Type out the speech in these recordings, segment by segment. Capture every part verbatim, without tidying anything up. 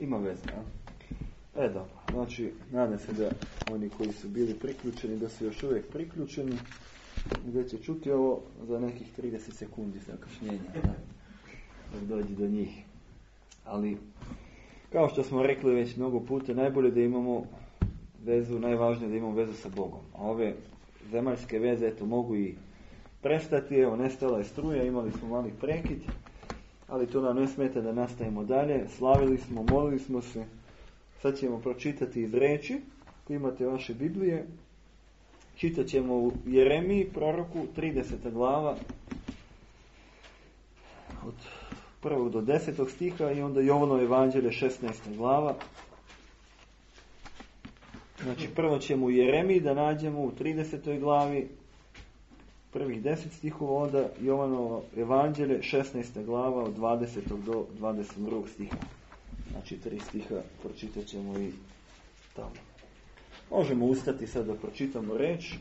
Ima veze, a? E da, znači, nadam se da oni koji su bili priključeni, da su još uvijek priključeni, da će čuti ovo za nekih trideset sekundi zakašnjenja, da, da dođe do njih. Ali, kao što smo rekli već mnogo puta, najbolje da imamo vezu, najvažnije da imamo vezu sa Bogom. A ove zemaljske veze, eto, mogu i prestati, evo, nestala je struja, imali smo mali prekid, ali to nam ne smeta da nastavimo dalje. Slavili smo, molili smo se. Sad ćemo pročitati iz riječi, ako imate vaše Biblije. Čitat ćemo u Jeremiji, proroku, trideseta glava, od prvog do desetog stiha, i onda Jovanovo evanđelje, šesnaesta glava. Znači, prvo ćemo u Jeremiji da nađemo u tridesetoj glavi prvih deset stihova, onda Jovanovo evanđelje, šesnaesta glava, od dvadesetog do dvadeset drugog stiha. Znači, tri stiha pročitat ćemo i tamo. Možemo ustati sad da pročitamo reč.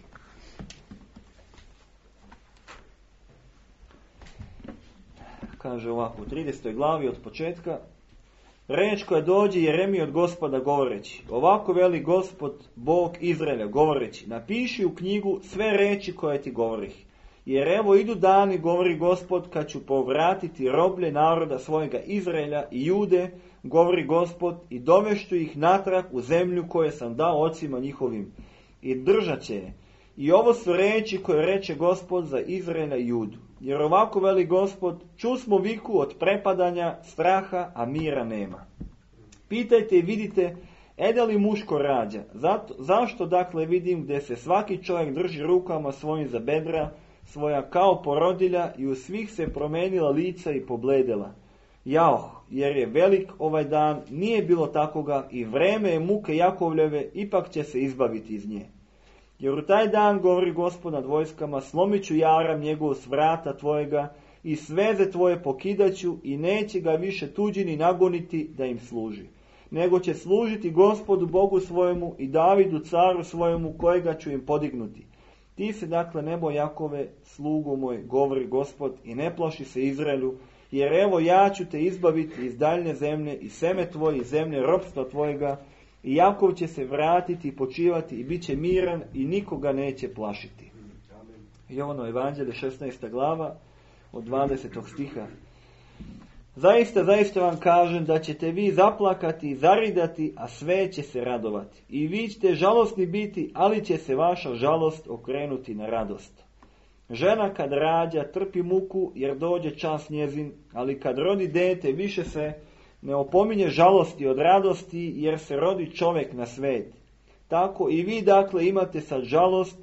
Kaže ovako, u tridesetoj glavi od početka: reč koja dođe Jeremiji od Gospoda govoreći, ovako veli Gospod, Bog Izraelja, govoreći, napiši u knjigu sve reči koje ti govorih. Jer evo idu dani, govori Gospod, kad ću povratiti roblje naroda svojega Izraelja i Jude, govori Gospod, i dovešću ih natrag u zemlju koje sam dao ocima njihovim, i držat će je. I ovo su reči koje reče Gospod za Izraela i Judu. Jer ovako veli Gospod, čusmo viku od prepadanja, straha, a mira nema. Pitajte i vidite, ede li muško rađa? Zato, zašto dakle vidim gdje se svaki čovjek drži rukama svojim za bedra, svoja kao porodilja, i u svih se promenila lica i pobledela. Jao, jer je velik ovaj dan, nije bilo takoga, i vreme je muke Jakovljeve, ipak će se izbaviti iz nje. Jer u taj dan, govori Gospod nad vojskama, slomit ću jaram njegovu s vrata tvojega i sveze tvoje pokidaću, i neće ga više tuđini nagoniti da im služi. Nego će služiti Gospodu Bogu svojemu i Davidu caru svojemu, kojega ću im podignuti. Ti se dakle nebo Jakove, slugu moj, govori Gospod, i ne plaši se Izraelu, jer evo ja ću te izbaviti iz daljne zemlje i seme tvoje iz zemlje ropstva tvojega, i Jakov će se vratiti i počivati i bit će miran i nikoga neće plašiti. Jovanovo evanđelje, šesnaesta glava, od dvadesetog stiha. Zaista, zaista vam kažem da ćete vi zaplakati i zaridati, a sve će se radovati. I vi ćete žalosni biti, ali će se vaša žalost okrenuti na radost. Žena kad rađa trpi muku jer dođe čas njezin, ali kad rodi dete više se ne opominje žalosti od radosti, jer se rodi čovjek na svet. Tako i vi dakle imate sad žalost,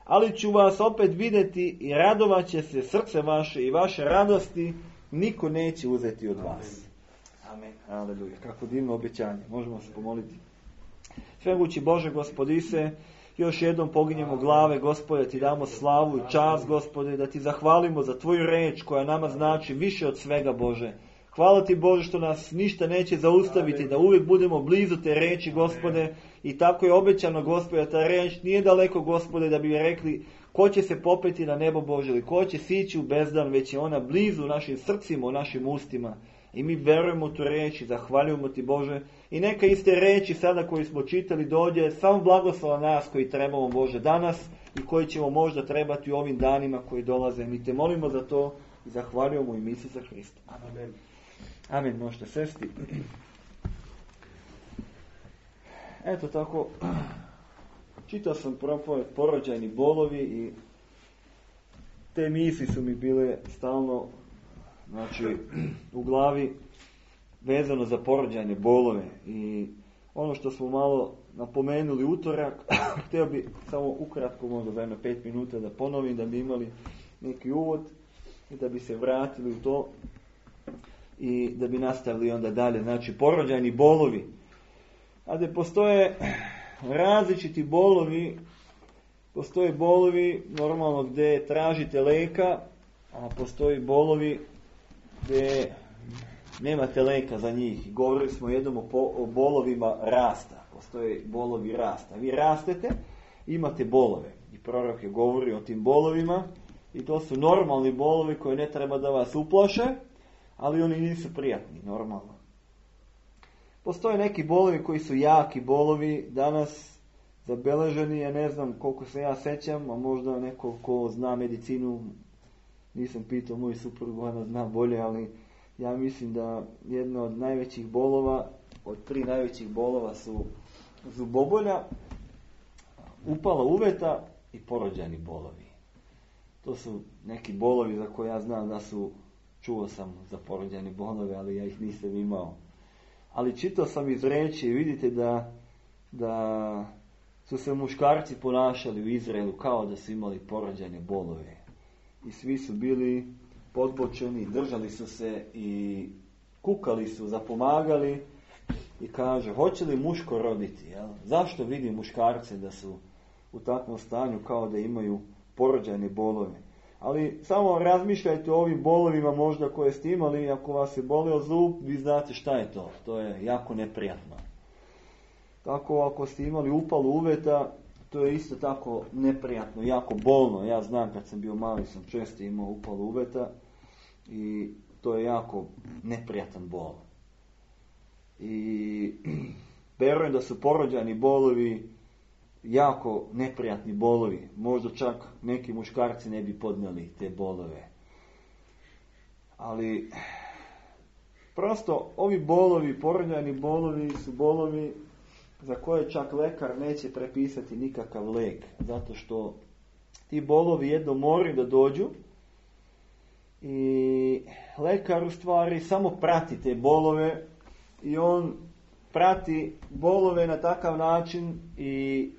ali ću vas opet vidjeti i radovat će se srce vaše i vaše radosti niko neće uzeti od vas. Amen. Aleluja. Kako divno obećanje. Možemo se pomoliti. Svemogući Bože, Gospodise, još jednom poginjemo glave, Gospode, ti damo slavu i čast, Gospode, da ti zahvalimo za tvoju reč koja nama znači više od svega, Bože. Hvala ti, Bože, što nas ništa neće zaustaviti, da uvijek budemo blizu te reči, Gospode, i tako je obećano, Gospode, ta reč nije daleko, Gospode, da bi rekli ko će se popeti na nebo Bože ili ko će sići u bezdan, već je ona blizu u našim srcima, u našim ustima. I mi verujemo u tu reč i zahvaljujemo ti, Bože. I neka iste reči sada koji smo čitali dođe samo blagoslova nas koji trebamo, Bože, danas i koji ćemo možda trebati u ovim danima koji dolaze. Mi te molimo za to i zahvaljujemo u ime Isusa Hrista. Amen. Amen. Možete sesti. Eto tako, čitao sam propoved porođajni bolovi i te misli su mi bile stalno, znači, u glavi vezano za porođajne bolove. I ono što smo malo napomenuli utorak, htio bi samo ukratko, možda za jedno pet minuta da ponovim, da bi imali neki uvod i da bi se vratili u to i da bi nastavili onda dalje. Znači, porođajni bolovi. A da postoje različiti bolovi, postoje bolovi normalno gdje tražite leka, a postoji bolovi gdje nemate leka za njih. Govorili smo jednom o, po, o bolovima rasta. Postoje bolovi rasta. Vi rastete, imate bolove. I prorok je govori o tim bolovima i to su normalni bolovi koji ne treba da vas uplaše, ali oni nisu prijatni, normalno. Postoje neki bolovi koji su jaki bolovi, danas zabeleženi, ja ne znam koliko se ja sećam, a možda neko ko zna medicinu, nisam pitao moju suprugu, ona zna bolje, ali ja mislim da jedno od najvećih bolova, od tri najvećih bolova su zubobolja, upala uveta i porođajni bolovi. To su neki bolovi za koje ja znam da su, čuo sam za porođajne bolove, ali ja ih nisam imao. Ali čitao sam iz reči i vidite da, da su se muškarci ponašali u Izraelu kao da su imali porođajne bolove. I svi su bili podbočeni, držali su se i kukali su, zapomagali i kaže, hoće li muško roditi? Jel? Zašto vidi muškarce da su u takvom stanju kao da imaju porođajne bolove? Ali samo razmišljajte o ovim bolovima možda koje ste imali, ako vas je bolio zub, vi znate šta je to. To je jako neprijatno. Tako ako ste imali upalu uveta, to je isto tako neprijatno, jako bolno. Ja znam kad sam bio mali, sam često imao upalu uveta i to je jako neprijatan bol. I verujem da su porođajni bolovi jako neprijatni bolovi. Možda čak neki muškarci ne bi podnijeli te bolove. Ali prosto ovi bolovi, porođajni bolovi su bolovi za koje čak lekar neće prepisati nikakav lek. Zato što ti bolovi jedno moraju da dođu i lekar u stvari samo prati te bolove i on prati bolove na takav način i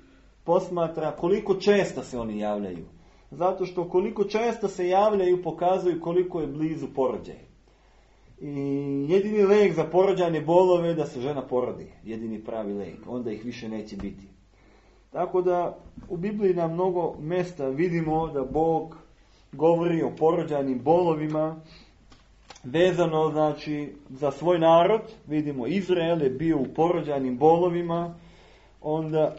posmatra koliko često se oni javljaju. Zato što koliko često se javljaju pokazuju koliko je blizu porođaj. I jedini lek za porođajne bolove je da se žena porodi. Jedini pravi lek. Onda ih više neće biti. Tako da u Bibliji na mnogo mjesta vidimo da Bog govori o porođajnim bolovima vezano znači za svoj narod. Vidimo Izrael je bio u porođajnim bolovima. Onda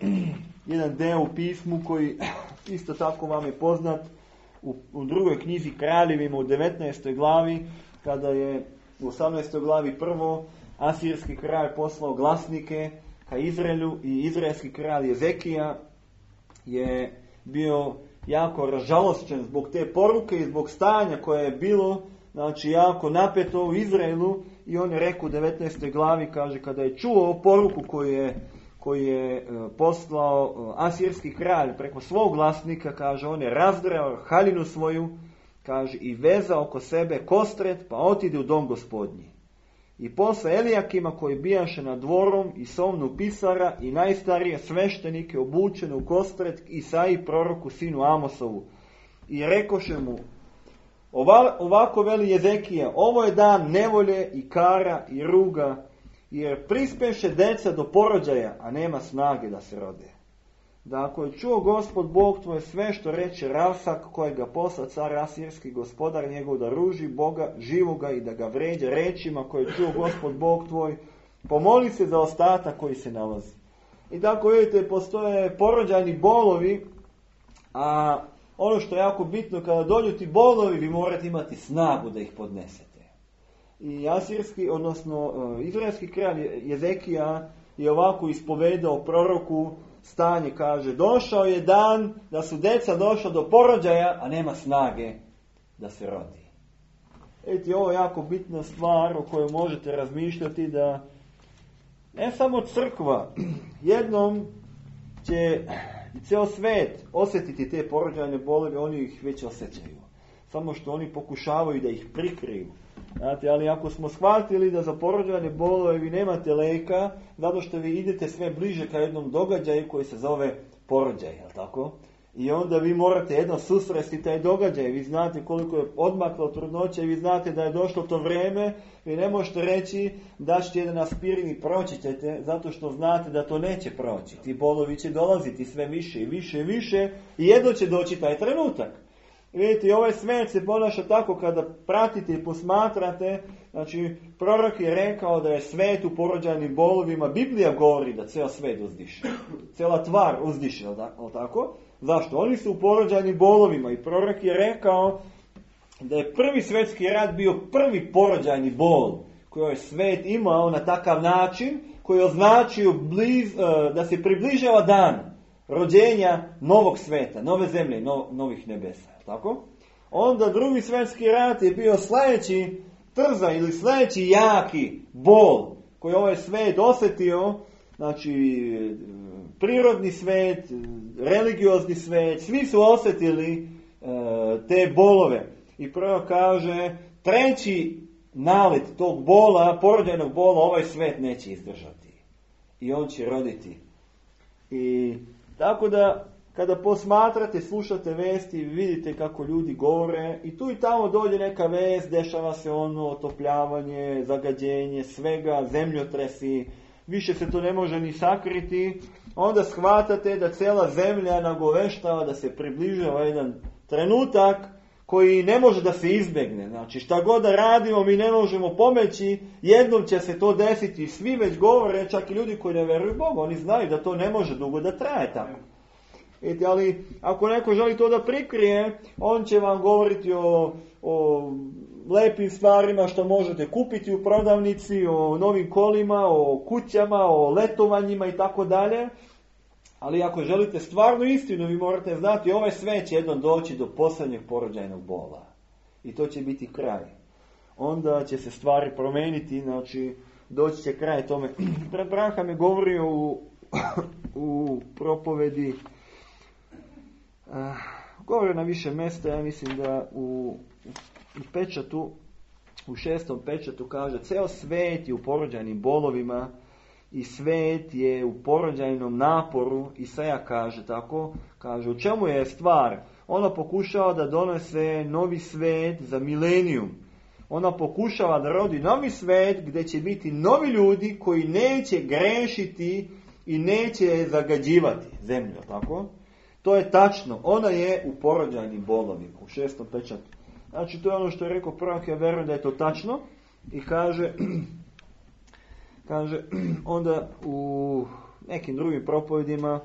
jedan deo u pismu koji isto tako vam je poznat u, u drugoj knjizi Kraljevima u devetnaestoj glavi, kada je u osamnaestoj glavi prvo asirski kralj poslao glasnike ka Izraelu i izraelski kralj Jezekija je bio jako ražalošćen zbog te poruke i zbog stanja koje je bilo, znači jako napeto u Izraelu, i on je rekao u devetnaestoj glavi, kaže, kada je čuo poruku koju je koji je poslao asirski kralj preko svog glasnika, kaže, on je razdrao haljinu svoju, kaže, i vezao oko sebe kostret, pa otide u dom gospodnji. I posle Elijakima koji bijaše nad dvorom i somnu pisara i najstarije sveštenike obučene u kostret Isaiji proroku sinu Amosovu. I rekoše mu, ovako veli Jezekija, ovo je dan nevolje i kara i ruga, jer prispeše deca do porođaja, a nema snage da se rode. Da ako je čuo Gospod Bog tvoj sve što reče Ravsak, kojega posla car asirski gospodar njegov, da ruži Boga živoga i da ga vređa rečima koje je čuo Gospod Bog tvoj, pomoli se za ostatak koji se nalazi. I tako vidite, postoje porođajni bolovi, a ono što je jako bitno, kada dođu ti bolovi, vi morate imati snagu da ih podnesete. I asirski, odnosno izraelski kralj Jezekija je ovako ispovedao proroku stanje, kaže, došao je dan da su deca došla do porođaja, a nema snage da se rodi. Eti, ovo je jako bitna stvar o kojoj možete razmišljati, da ne samo crkva, jednom će i ceo svet osjetiti te porođajne bolove, oni ih već osjećaju. Samo što oni pokušavaju da ih prikriju. Znate, ali ako smo shvatili da za porođajne bolove vi nemate leka, zato što vi idete sve bliže ka jednom događaju koji se zove porođaj, jel tako? I onda vi morate jedno susresti taj događaj. Vi znate koliko je odmaklo trudnoća i vi znate da je došlo to vrijeme. Vi ne možete reći da ćete jedan aspirin i proći ćete, zato što znate da to neće proći. Ti bolovi će dolaziti sve više i više i više i jedno će doći taj trenutak. Vidite, ovaj svet se ponaša tako kada pratite i posmatrate. Znači, prorok je rekao da je svet u porođajnim bolovima. Biblija govori da ceo svet uzdiše. Cela tvar uzdiše, je li tako? Zašto? Oni su u porođajnim bolovima i prorok je rekao da je prvi svjetski rat bio prvi porođajni bol koji je svet imao na takav način, koji je označio bliz, da se približava dan rođenja novog sveta, nove zemlje, no, novih nebesa. Tako? Onda drugi svjetski rat je bio sljedeći trza ili sljedeći jaki bol koji ovaj svet osjetio, znači prirodni svet, religiozni svet, svi su osjetili e, te bolove. I prvo kaže, treći nalet tog bola, porođajnog bola, ovaj svet neće izdržati. I on će roditi. I tako da, kada posmatrate, slušate vesti, vidite kako ljudi govore i tu i tamo dođe neka vest, dešava se ono otopljavanje, zagađenje, svega, zemljotresi, više se to ne može ni sakriti, onda shvatate da cijela zemlja nagoveštava da se približava jedan trenutak koji ne može da se izbjegne. Znači šta god da radimo mi ne možemo pomeći, jednom će se to desiti, svi već govore, čak i ljudi koji ne vjeruju Bogu, oni znaju da to ne može dugo da traje tako. Eti, ali ako neko želi to da prikrije, on će vam govoriti o, o lepim stvarima što možete kupiti u prodavnici, o novim kolima, o kućama, o letovanjima i tako dalje. Ali ako želite stvarnu istinu, vi morate znati, ovaj svet će jednom doći do posljednjeg porođajnog bola. I to će biti kraj. Onda će se stvari promijeniti, znači doći će kraj tome. Brat Branham je govorio u, u propovedi, uh, govorio na više mjesta, ja mislim da u, u pečatu, u šestom pečatu kaže, ceo svet je u porođajnim bolovima, i svet je u porođajnom naporu, Isaja kaže tako, kaže, u čemu je stvar? Ona pokušava da donese novi svet za milenijum. Ona pokušava da rodi novi svet gdje će biti novi ljudi koji neće grešiti i neće zagađivati zemlju, tako? To je tačno, ona je u porođajnim bolovima, u šestom pečatu. Znači, to je ono što je rekao prorok, ja vjerujem da je to tačno i kaže... Kaže, onda u nekim drugim propovedima,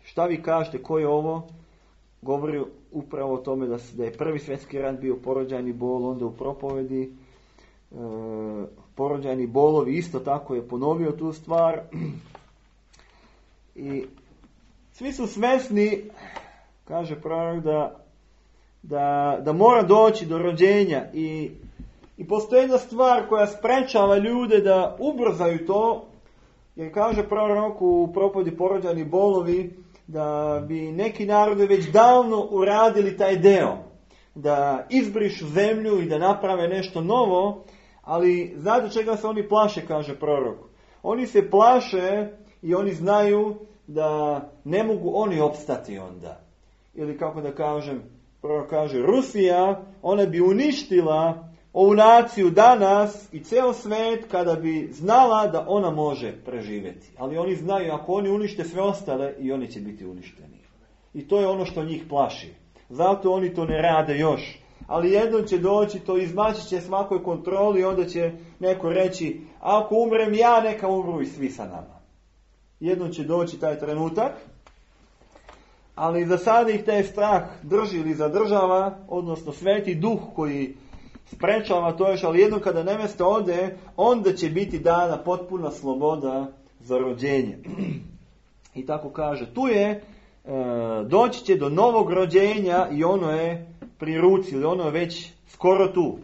šta vi kažete, ko je ovo? Govori upravo o tome da, da je prvi svjetski rat bio porođajni bol, onda u propovedi porođajni bolovi, isto tako je ponovio tu stvar. I svi su svjesni, kaže prorok, da, da, da mora doći do rođenja i I postoji jedna stvar koja sprečava ljude da ubrzaju to, jer kaže prorok u propovedi porođajni bolovi da bi neki narodi već davno uradili taj deo, da izbrišu zemlju i da naprave nešto novo, ali znate čega se oni plaše, kaže prorok. Oni se plaše i oni znaju da ne mogu oni opstati onda. Ili kako da kažem, prorok kaže, Rusija, ona bi uništila ovu naciju danas i ceo svet kada bi znala da ona može preživjeti. Ali oni znaju, ako oni unište sve ostale, i oni će biti uništeni. I to je ono što njih plaši. Zato oni to ne rade još. Ali jednom će doći, to izmaći će svakoj kontroli i onda će neko reći, ako umrem ja, neka umru i svi sa nama. Jednom će doći taj trenutak, ali za sada ih taj strah drži ili zadržava, odnosno sveti duh koji sprečava to još, ali jednom kada nevesta ode, onda će biti dana potpuna sloboda za rođenje. I tako kaže, tu je, e, doći će do novog rođenja i ono je pri ruci, ili ono je već skoro tu.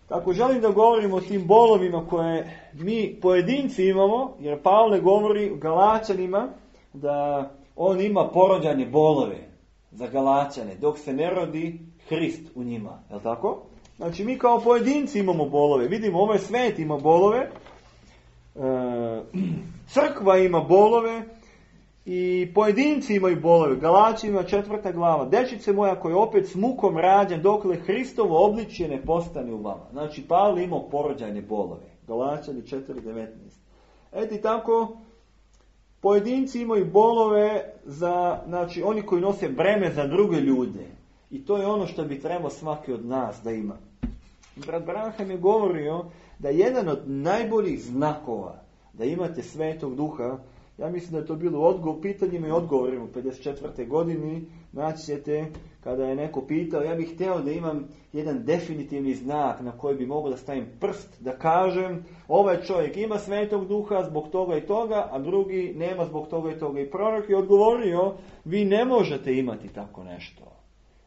Tako želim da govorim o tim bolovima koje mi pojedinci imamo, jer Pavle govori Galačanima da on ima porođajne bolove za Galačane, dok se ne rodi Hrist u njima, je li tako? Znači mi kao pojedinci imamo bolove. Vidimo, ovaj svet ima bolove, e, crkva ima bolove i pojedinci imaju bolove. Galačima četvrta glava. Dečice moja koji je opet s mukom rađen dokle Hristovo obličje ne postane u vama. Znači Pavle imao porođajne bolove. Galačani četiri devetnaest. Eti tako, pojedinci imaju bolove za, znači oni koji nose breme za druge ljude. I to je ono što bi trebao svaki od nas da ima. Brat Branham je govorio da jedan od najboljih znakova da imate Svetog Duha Ja mislim da je to bilo u odgovor, pitanjima i odgovorima u pedeset četvrtoj godini. Naći ćete kada je neko pitao, ja bih htio da imam jedan definitivni znak na koji bi mogao da stavim prst, da kažem ovaj čovjek ima Svetog Duha zbog toga i toga, a drugi nema zbog toga i toga. I prorok je odgovorio, vi ne možete imati tako nešto.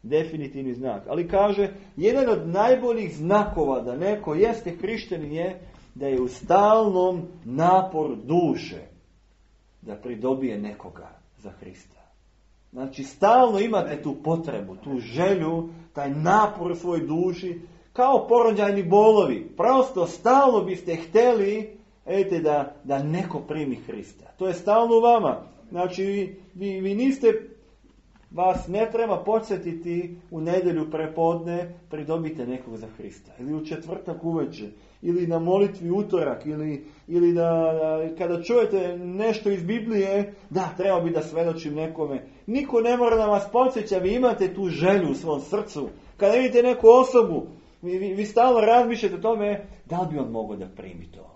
Definitivni znak. Ali kaže, jedan od najboljih znakova da neko jeste hrišćanin je da je u stalnom naporu duše da pridobije nekoga za Hrista. Znači, stalno imate tu potrebu, tu želju, taj napor u svojoj duši, kao porođajni bolovi. Prosto stalno biste htjeli ete, da, da neko primi Hrista. To je stalno u vama. Znači, vi, vi, vi niste, vas ne treba podsjetiti u nedjelju prepodne pridobite nekog za Hrista. Ili u četvrtak uveče. Ili na molitvi utorak. Ili, ili da, da kada čujete nešto iz Biblije, da, treba bi da svedočim nekome. Niko ne mora da vas podsjeća, vi imate tu želju u svom srcu. Kada vidite neku osobu, vi, vi, vi stalno razmišljate o tome, da li bi on mogao da primi to.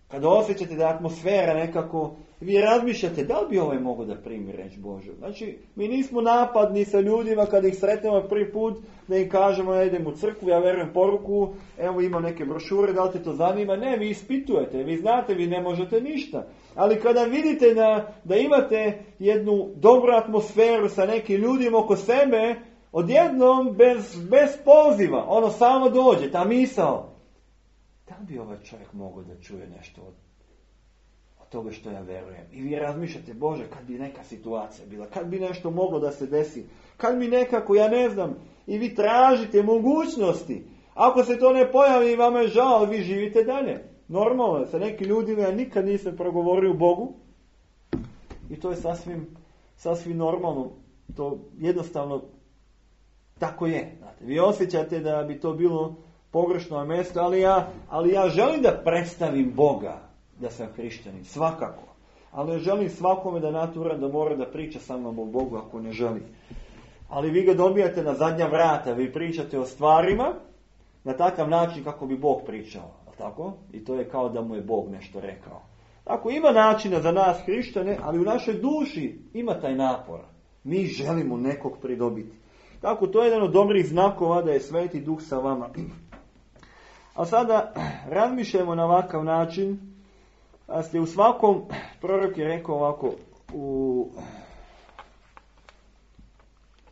Kada osjećate da je atmosfera nekako, vi razmišljate da li bi ovaj mogao da primi reč Božju. Znači, mi nismo napadni sa ljudima kada ih sretnemo prvi put, da im kažemo ja idem u crkvu, ja verujem poruku, evo ima neke brošure, da li te to zanima? Ne, vi ispitujete, vi znate, vi ne možete ništa. Ali kada vidite da, da imate jednu dobru atmosferu sa nekim ljudima oko sebe, odjednom bez, bez poziva, ono samo dođe, ta misao. Da li bi ovaj čovjek mogao da čuje nešto od, od toga što ja verujem? I vi razmišljate, Bože, kad bi neka situacija bila, kad bi nešto moglo da se desi, kad bi nekako, ja ne znam, i vi tražite mogućnosti. Ako se to ne pojavi, vama je žao, ali vi živite dalje. Normalno, sa nekim ljudima ja nikad nisam progovorio Bogu i to je sasvim, sasvim normalno. To jednostavno tako je. Znate, vi osjećate da bi to bilo pogrešno mjesto, ali ja, ali ja želim da predstavim Boga da sam hrišćanin, svakako. Ali ja želim svakome da natura da mora da priča sa mnom o Bogu ako ne želi. Ali vi ga dobijate na zadnja vrata, vi pričate o stvarima na takav način kako bi Bog pričao. Tako? I to je kao da mu je Bog nešto rekao. Tako, ima načina za nas hrišćane, ali u našoj duši ima taj napor. Mi želimo nekog pridobiti. Tako, to je jedan od dobrih znakova da je Sveti Duh sa vama. A sada razmišljamo na ovakav način. A ste u svakom, prorok je rekao ovako, u...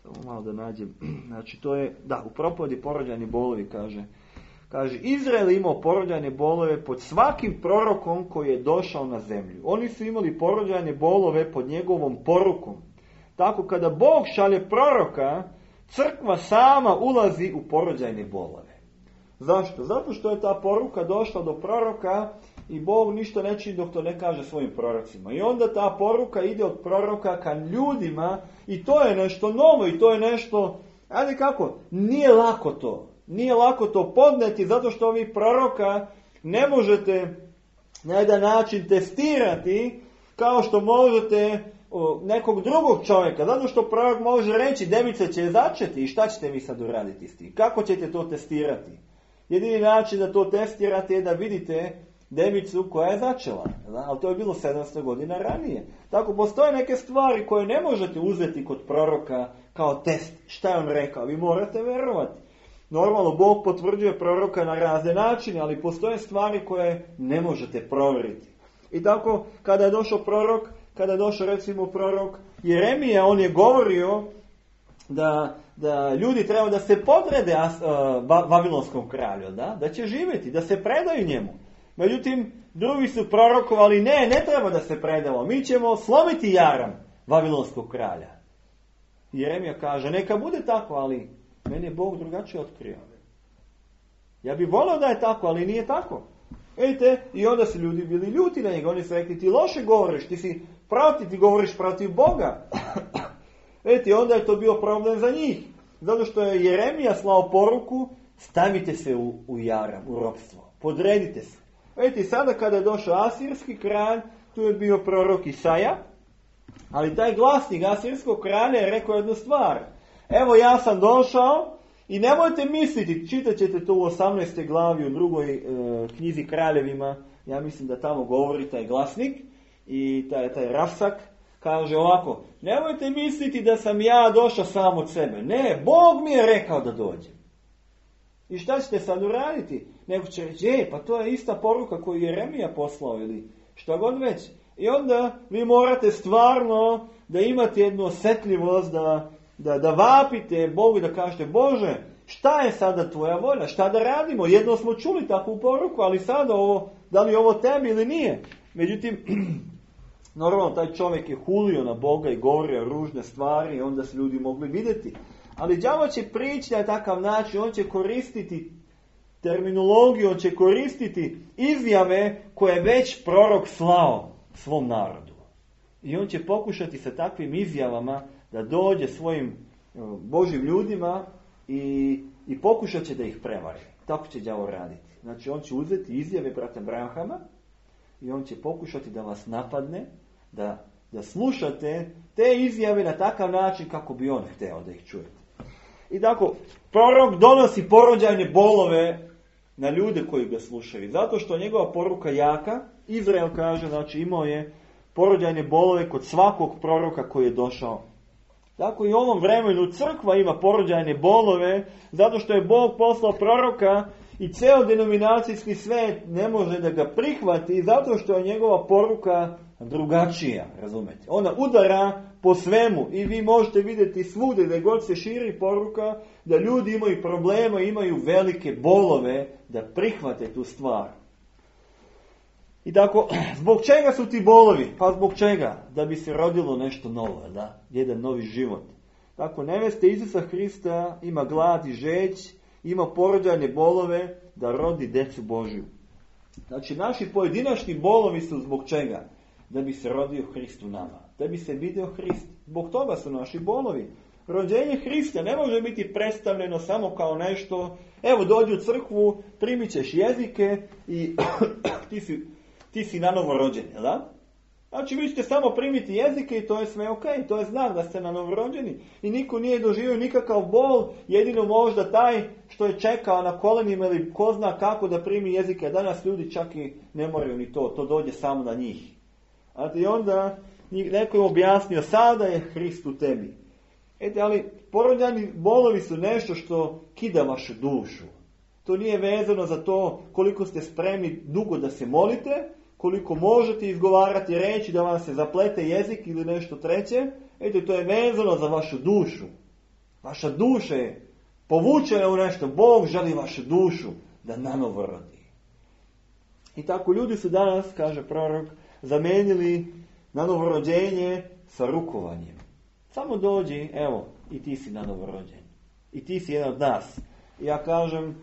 Samo malo da nađem. Znači, to je, da, u propovedi porođajni bolovi kaže... Kaže, Izrael imao porođajne bolove pod svakim prorokom koji je došao na zemlju. Oni su imali porođajne bolove pod njegovom porukom. Tako kada Bog šalje proroka, crkva sama ulazi u porođajne bolove. Zašto? Zato što je ta poruka došla do proroka i Bog ništa ne čini dok to ne kaže svojim prorocima. I onda ta poruka ide od proroka ka ljudima i to je nešto novo i to je nešto, ajde kako, nije lako to. Nije lako to podneti zato što vi proroka ne možete na jedan način testirati kao što možete nekog drugog čovjeka. Zato što prorok može reći devica će začeti i šta ćete vi sad uraditi s tim? Kako ćete to testirati? Jedini način da to testirate je da vidite devicu koja je začela. Ali to je bilo sedamsto godina ranije. Tako postoje neke stvari koje ne možete uzeti kod proroka kao test. Šta je on rekao? Vi morate verovati. Normalno, Bog potvrđuje proroka na razne načine, ali postoje stvari koje ne možete provjeriti. I tako, kada je došao prorok, kada je došao recimo prorok Jeremija, on je govorio da, da ljudi treba da se podrede uh, Vavilonskom kralju, da? Da će živjeti, da se predaju njemu. Međutim, drugi su prorokovali, ne, ne treba da se predamo, mi ćemo slomiti jaram Vavilonskog kralja. Jeremija kaže, neka bude tako, ali meni je Bog drugačije otkrio. Ja bih volio da je tako, ali nije tako. Vidite, i onda su ljudi bili ljuti na njega. Oni su rekli, ti loše govoriš, ti si protiv, ti govoriš protiv Boga. Vidite, onda je to bio problem za njih. Zato što je Jeremija slao poruku, stavite se u, u jaram, u ropstvo. Podredite se. Vidite, sada kada je došao asirski kralj, tu je bio prorok Isaja, ali taj glasnik asirskog kralja je rekao jednu stvar. Evo ja sam došao i nemojte misliti, čitat ćete to u osamnaestoj glavi u drugoj e, knjizi Kraljevima, ja mislim da tamo govori taj glasnik, i taj, taj Rasak, kaže ovako, nemojte misliti da sam ja došao sam od sebe. Ne, Bog mi je rekao da dođem. I šta ćete sad uraditi? Neko će reći, je, pa to je ista poruka koju je Jeremija poslao ili šta god već. I onda vi morate stvarno da imate jednu osjetljivost, da, da, da vapite Bogu i da kažete, Bože, šta je sada tvoja volja? Šta da radimo? Jedno smo čuli takvu poruku, ali sada ovo, da li je ovo tebi ili nije? Međutim, normalno taj čovjek je hulio na Boga i govorio ružne stvari i onda su ljudi mogli vidjeti. Ali đavo će prići na takav način, on će koristiti terminologiju, on će koristiti izjave koje je već prorok slao svom narodu. I on će pokušati sa takvim izjavama da dođe svojim Božim ljudima i, i pokušat će da ih prevari. Tako će đavo raditi. Znači on će uzeti izjave brata Branhama i on će pokušati da vas napadne, da, da slušate te izjave na takav način kako bi on hteo da ih čujete. I tako, prorok donosi porođajne bolove na ljude koji ga slušaju. Zato što njegova poruka jaka, Izrael kaže, znači imao je porođajne bolove kod svakog proroka koji je došao. Tako i u ovom vremenu crkva ima porođajne bolove, zato što je Bog poslao proroka i ceo denominacijski svet ne može da ga prihvati, zato što je njegova poruka drugačija, razumete. Ona udara po svemu i vi možete vidjeti svugdje da god se širi poruka, da ljudi imaju problema, imaju velike bolove da prihvate tu stvar. I tako, zbog čega su ti bolovi? Pa zbog čega? Da bi se rodilo nešto novo, da? Jedan novi život. Tako, nevesta Isusa Hrista ima glad i žeć, ima porođajne bolove da rodi decu Božju. Znači, naši pojedinačni bolovi su zbog čega? Da bi se rodio Hrist u nama. Da bi se vidio Hrist. Zbog toga su naši bolovi. Rođenje Hrista ne može biti predstavljeno samo kao nešto, evo dođi u crkvu, primit ćeš jezike i ti si, ti si nanovo rođen, jel da? Znači vi ćete samo primiti jezike i to je sve ok, to je znak da ste nanovo rođeni. I niko nije doživio nikakav bol, jedino možda taj što je čekao na kolenima ili ko zna kako da primi jezike. Danas ljudi čak i ne moraju ni to, to dođe samo na njih. I onda neko je objasnio, sada je Hrist u tebi. Ete, ali porođajni bolovi su nešto što kida vašu dušu. To nije vezano za to koliko ste spremni dugo da se molite, koliko možete izgovarati reći da vam se zaplete jezik ili nešto treće. Ete, to je vezano za vašu dušu. Vaša duša je povučena u nešto. Bog želi vašu dušu da nanovo rodi. I tako ljudi su danas, kaže prorok, zamenili nanovo rođenje sa rukovanjem. Samo dođi, evo, i ti si nanovo rođen. I ti si jedan od nas. I ja kažem,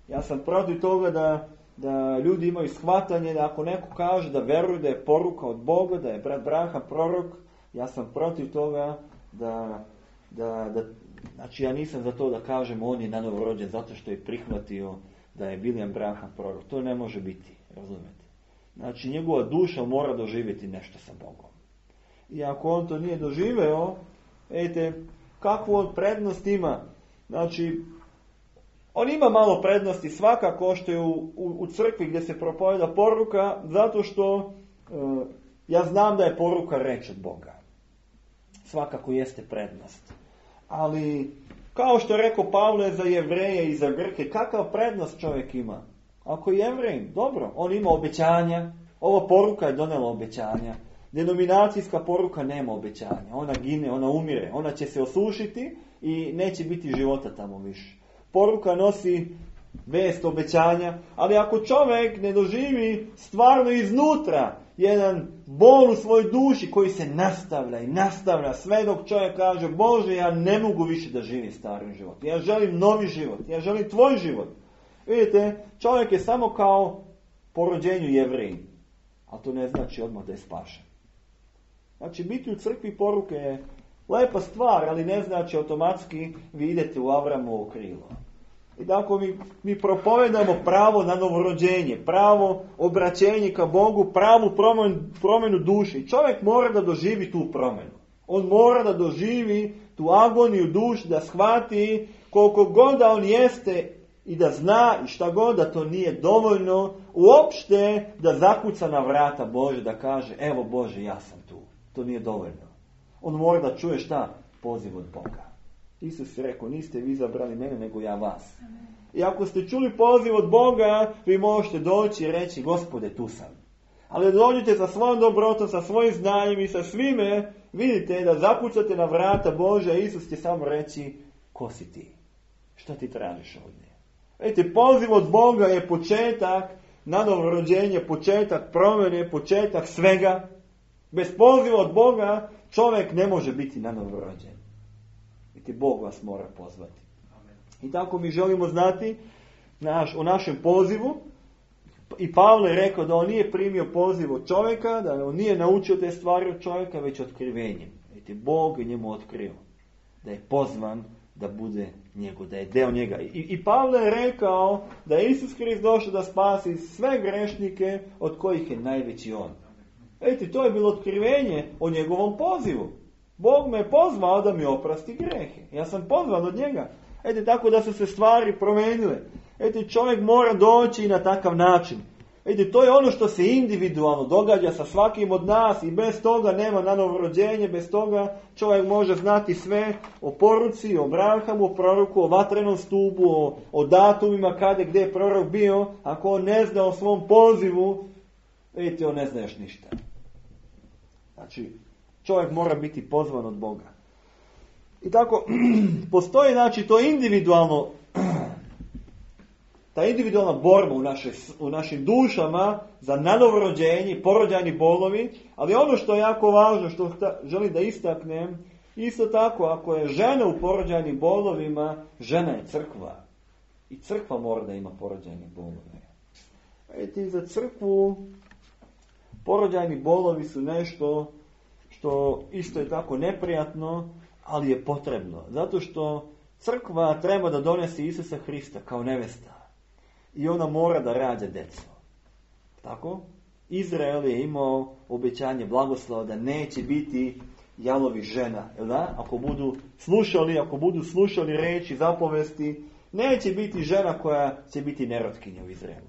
ja sam protiv toga da, da ljudi imaju shvatanje da ako neko kaže da veruje da je poruka od Boga, da je brat Branham prorok, ja sam protiv toga da, da, da, znači ja nisam za to da kažem on je nanovo rođen zato što je prihvatio da je William Branham prorok. To ne može biti, razumete. Znači njegova duša mora doživjeti nešto sa Bogom. I ako on to nije doživeo, ejte, kakvu on prednost ima? Znači, on ima malo prednosti svakako što je u, u, u crkvi gdje se propoveda poruka, zato što e, ja znam da je poruka reč od Boga. Svakako jeste prednost. Ali, kao što je rekao Pavle za Jevreje i za Grke, kakav prednost čovjek ima? Ako je Jevrej, dobro, on ima obećanja, ova poruka je donela obećanja. Denominacijska poruka nema obećanja. Ona gine, ona umire, ona će se osušiti i neće biti života tamo više. Poruka nosi vest obećanja, ali ako čovjek ne doživi stvarno iznutra jedan bol u svojoj duši koji se nastavlja i nastavlja sve dok čovjek kaže Bože, ja ne mogu više da živim starim život. Ja želim novi život, ja želim tvoj život. Vidite, čovjek je samo kao po rođenju Jevrej, a to ne znači odmah da je spašen. Znači, biti u crkvi poruke je lepa stvar, ali ne znači automatski vi idete u Avramovo krilo. I tako mi, mi propovedamo pravo na novorođenje, pravo obraćenje ka Bogu, pravu promjenu, promjenu duši. Čovjek mora da doživi tu promjenu. On mora da doživi tu agoniju duši, da shvati koliko god da on jeste i da zna i šta god, da to nije dovoljno uopšte da zakuca na vrata Bože, da kaže, evo Bože, ja sam tu. To nije dovoljno. On mora da čuje šta? Poziv od Boga. Isus je rekao, niste vi izabrali mene, nego ja vas. I ako ste čuli poziv od Boga, vi možete doći i reći, Gospode, tu sam. Ali dođite sa svojom dobrotom, sa svojim znanjem i sa svime, vidite da zakucate na vrata Božja, Isus će samo reći, ko si ti? Šta ti tražiš ovdje? Vidite, poziv od Boga je početak na novorođenje, početak promjene, početak svega. Bez poziva od Boga čovjek ne može biti na novorođen. Vidite, Bog vas mora pozvati. Amen. I tako mi želimo znati naš, o našem pozivu. I Pavle je rekao da on nije primio poziv od čovjeka, da on nije naučio te stvari od čovjeka, već otkrivenjem. Vidite, Bog je njemu otkrio da je pozvan da bude njegov, da je deo njega. I, i Pavle je rekao da je Isus Hrist došao da spasi sve grešnike od kojih je najveći on. Vidite, to je bilo otkrivenje o njegovom pozivu. Bog me je pozvao da mi oprosti grehe. Ja sam pozvan od njega. Vidite, tako da su se stvari promenile. Vidite, čovjek mora doći na takav način. Vidite, to je ono što se individualno događa sa svakim od nas i bez toga nema na novorođenje, bez toga čovjek može znati sve o poruci, o Abrahamu, o proroku, o vatrenom stupu, o, o datumima kada gdje je prorok bio. Ako on ne zna o svom pozivu, vidite, on ne zna još ništa. Znači, čovjek mora biti pozvan od Boga. I tako, postoji, znači, to individualno, ta individualna borba u, naše, u našim dušama za nanovrođenje, porođajni bolovi, ali ono što je jako važno, što želim da istaknem, isto tako, ako je žena u porođajnim bolovima, žena je crkva. I crkva mora da ima porođajne bolove. Vidite, za crkvu porođajni bolovi su nešto što isto je tako neprijatno, ali je potrebno. Zato što crkva treba da donese Isusa Hrista kao nevesta. I ona mora da rađa djecu. Tako? Izrael je imao obećanje blagoslova da neće biti jalovi žena. Jel da? Ako budu slušali, ako budu slušali reči, zapovesti, neće biti žena koja će biti nerotkinja u Izraelu.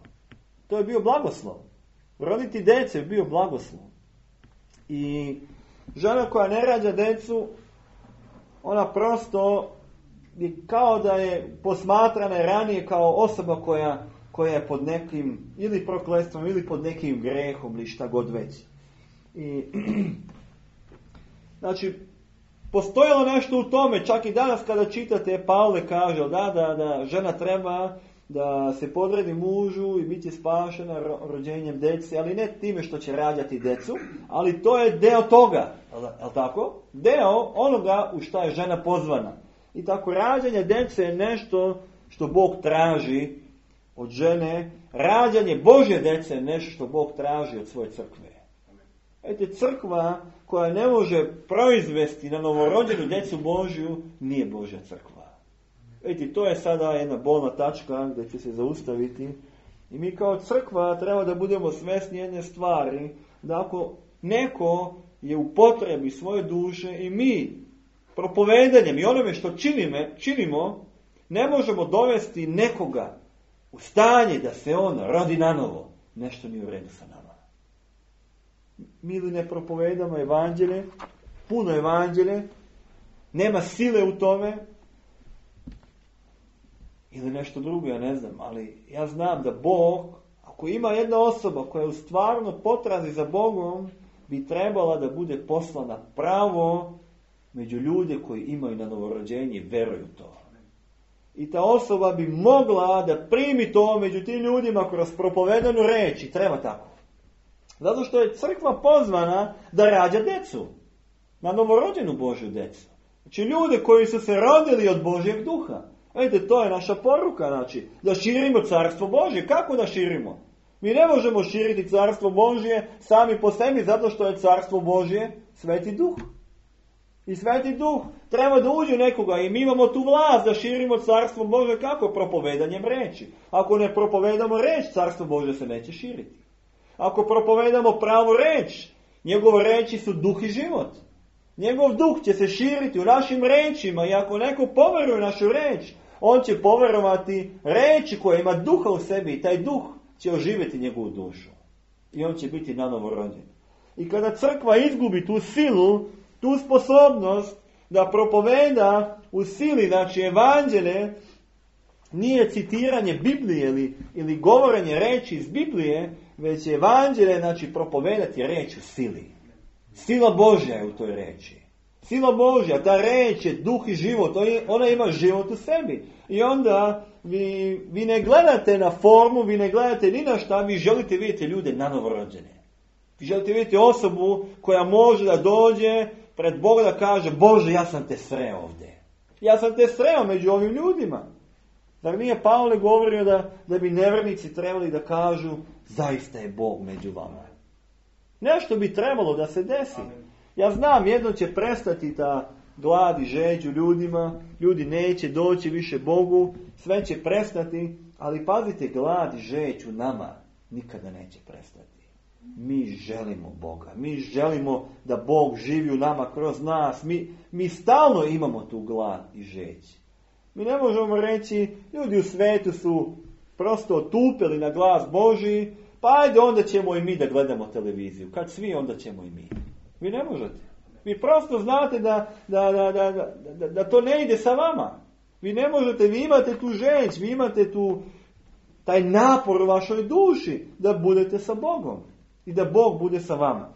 To je bio blagoslov. Roditi djece je bio blagoslov. I žena koja ne rađa djecu, ona prosto je kao da je posmatrana ranije kao osoba koja, koja je pod nekim ili prokletstvom ili pod nekim grehom ili šta god već. I, znači, postojalo nešto u tome, čak i danas kada čitate, Pavle kaže da, da, da žena treba da se podredi mužu i bit će spašena rođenjem djece, ali ne time što će rađati djecu, ali to je deo toga, je tako? Deo onoga u šta je žena pozvana. I tako rađanje djece je nešto što Bog traži od žene, rađanje Božje djece je nešto što Bog traži od svoje crkve. Vidite, crkva koja ne može proizvesti na novorođenu djecu Božju nije Božja crkva. Vidite, to je sada jedna bolna tačka gdje će se zaustaviti. I mi kao crkva treba da budemo svjesni jedne stvari, da ako neko je u potrebi svoje duše i mi propovedanjem i onome što činimo, činimo, ne možemo dovesti nekoga u stanje da se on rodi nanovo. Nešto nije u redu sa nama. Mi li ne propovedamo evanđelje, puno evanđelje, nema sile u tome, ili nešto drugo, ja ne znam, ali ja znam da Bog, ako ima jedna osoba koja je u stvarno potrazi za Bogom, bi trebala da bude poslana pravo među ljude koji imaju na novorođenje i veruju to. I ta osoba bi mogla da primi to među tim ljudima kroz propovedanu reč i treba tako. Zato što je crkva pozvana da rađa djecu. Na novorođenu Božju djecu. Znači ljude koji su se rodili od Božjeg duha. Vidite, to je naša poruka, znači, da širimo carstvo Božje. Kako da širimo? Mi ne možemo širiti carstvo Božje sami po sebi, zato što je carstvo Božje Sveti Duh. I Sveti Duh treba da uđe nekoga i mi imamo tu vlast da širimo carstvo Božje kako? Propovedanjem reči. Ako ne propovedamo reč, carstvo Božje se neće širiti. Ako propovedamo pravu reč, njegove reči su duh i život. Njegov duh će se širiti u našim rečima i ako neko poveruje našu reč, on će poverovati reči koja ima duha u sebi i taj duh će oživjeti njegovu dušu. I on će biti nanovo rođen. I kada crkva izgubi tu silu, tu sposobnost da propoveda u sili, znači evanđelje, nije citiranje Biblije ili, ili govorenje reči iz Biblije, već evanđelje, znači propovedati reč u sili. Sila Božja je u toj reči. Sila Božja, ta reč je duh i život, ona ima život u sebi. I onda vi, vi ne gledate na formu, vi ne gledate ni na šta, vi želite vidjeti ljude nanovorođene. Vi želite vidjeti osobu koja može da dođe pred Boga da kaže: Bože, ja sam te sreo ovdje. Ja sam te sreo među ovim ljudima. Zar nije Pavle govorio da, da bi nevjernici trebali da kažu: zaista je Bog među vama. Nešto bi trebalo da se desi. Ja znam, jedno će prestati ta glad i žeđ u ljudima, ljudi neće doći više Bogu, sve će prestati, ali pazite, glad i žeđ u nama nikada neće prestati. Mi želimo Boga, mi želimo da Bog živi u nama kroz nas, mi, mi stalno imamo tu glad i žeđ. Mi ne možemo reći, ljudi u svetu su prosto otupili na glas Božji, pa ajde onda ćemo i mi da gledamo televiziju. Kad svi, onda ćemo i mi. Vi ne možete. Vi prosto znate da, da, da, da, da, da to ne ide sa vama. Vi ne možete, vi imate tu žeđ, vi imate tu taj napor u vašoj duši da budete sa Bogom. I da Bog bude sa vama.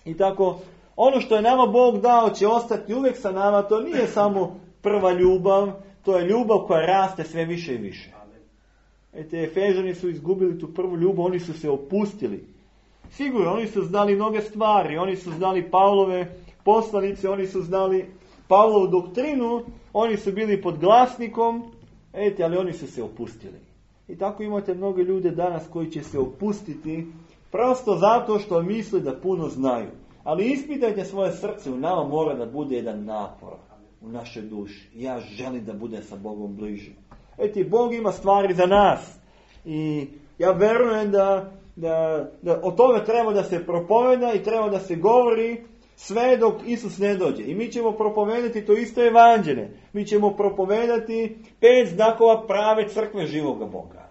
I tako, ono što je nama Bog dao će ostati uvijek sa nama, to nije samo prva ljubav, to je ljubav koja raste sve više i više. Ete, Efežani su izgubili tu prvu ljubav, oni su se opustili. Sigurno, oni su znali mnoge stvari, oni su znali Pavlove poslanice, oni su znali Pavlovu doktrinu, oni su bili pod glasnikom, ete, ali oni su se opustili. I tako imate mnoge ljude danas koji će se opustiti prosto zato što misle da puno znaju. Ali ispitajte svoje srce, u nama mora da bude jedan napor u našoj duši. Ja želim da budem sa Bogom bliže. Eti, Bog ima stvari za nas. I ja verujem da, da, da o tome treba da se propoveda i treba da se govori sve dok Isus ne dođe. I mi ćemo propovedati to isto evanđelje. Mi ćemo propovedati pet znakova prave crkve živoga Boga.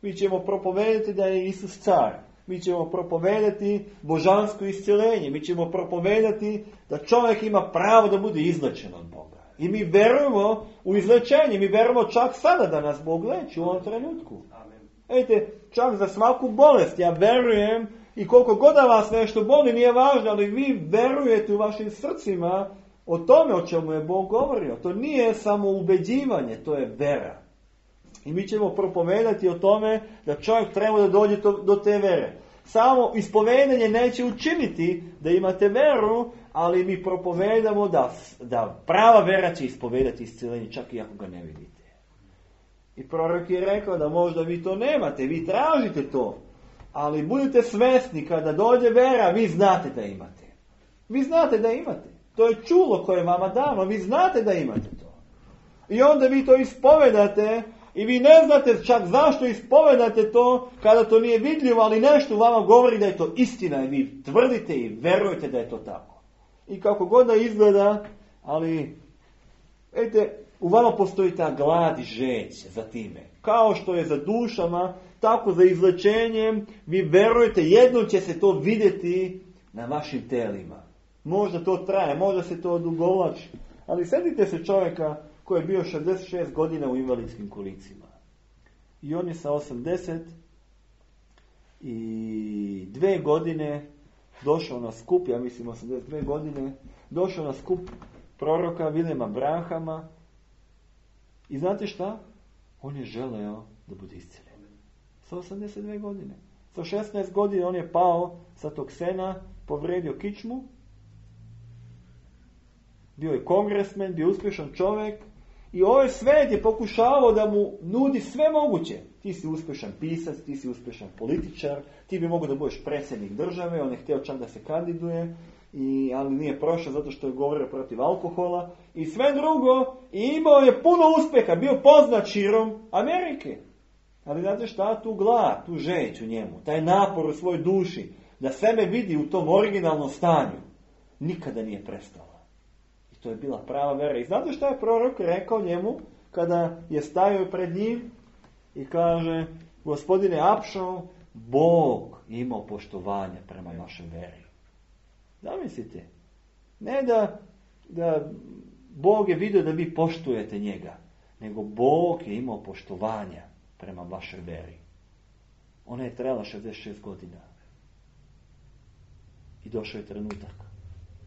Mi ćemo propovedati da je Isus car. Mi ćemo propovedati božansko iscjeljenje. Mi ćemo propovedati da čovjek ima pravo da bude izlečen od Boga. I mi verujemo u izlečenje. Mi verujemo čak sada da nas Bog leči u ovom trenutku. Ejte, čak za svaku bolest ja verujem i koliko god da vas nešto boli nije važno, ali vi verujete u vašim srcima o tome o čemu je Bog govorio. To nije samo ubeđivanje, to je vera. I mi ćemo propovedati o tome da čovjek treba da dođe to, do te vere. Samo ispovedanje neće učiniti da imate veru, ali mi propovedamo da, da prava vera će ispovedati iscjeljenje, čak i ako ga ne vidite. I prorok je rekao da možda vi to nemate, vi tražite to, ali budite svjesni kada dođe vera, vi znate da imate. Vi znate da imate. To je čulo koje je vama dano, vi znate da imate to. I onda vi to ispovedate i vi ne znate čak zašto ispovedate to kada to nije vidljivo, ali nešto vama govori da je to istina i vi tvrdite i verujete da je to tako. I kako god da izgleda, ali vidite, u vama postoji ta glad i žeđ za time. Kao što je za dušama, tako za izlečenjem, vi verujete, jednom će se to vidjeti na vašim telima. Možda to traje, možda se to odugovlači. Ali sjetite se čovjeka koji je bio šezdeset šest godina u invalidskim kolicima. I on je sa osamdeset dvije godine došao na skup, ja mislim osamdeset dvije godine, došao na skup proroka Viljema Branhama. I znate šta? On je želeo da bude isceljen. Sa osamdeset dvije godine. Sa šesnaest godina on je pao sa tog sena, povredio kičmu. Bio je kongresmen, bio uspješan čovjek. I ovaj svet je pokušavao da mu nudi sve moguće. Ti si uspješan pisac, ti si uspješan političar, ti bi mogao da budeš predsjednik države, on je htio čak da se kandiduje, i, ali nije prošao zato što je govorio protiv alkohola. I sve drugo, i imao je puno uspjeha, bio poznat širom Amerike. Ali znate šta? Tu glad, tu žeđ u njemu, taj napor u svojoj duši, da sebe vidi u tom originalnom stanju, nikada nije prestala. To je bila prava vera. I znate šta je prorok rekao njemu? kada je stajao pred njim i kaže, gospodine Apšalom, Bog je imao poštovanja prema vašoj veri. Zamislite, ne da, da Bog je vidio da vi poštujete njega, nego Bog je imao poštovanja prema vašoj veri. Ona je trajala šezdeset šest godina. I došao je trenutak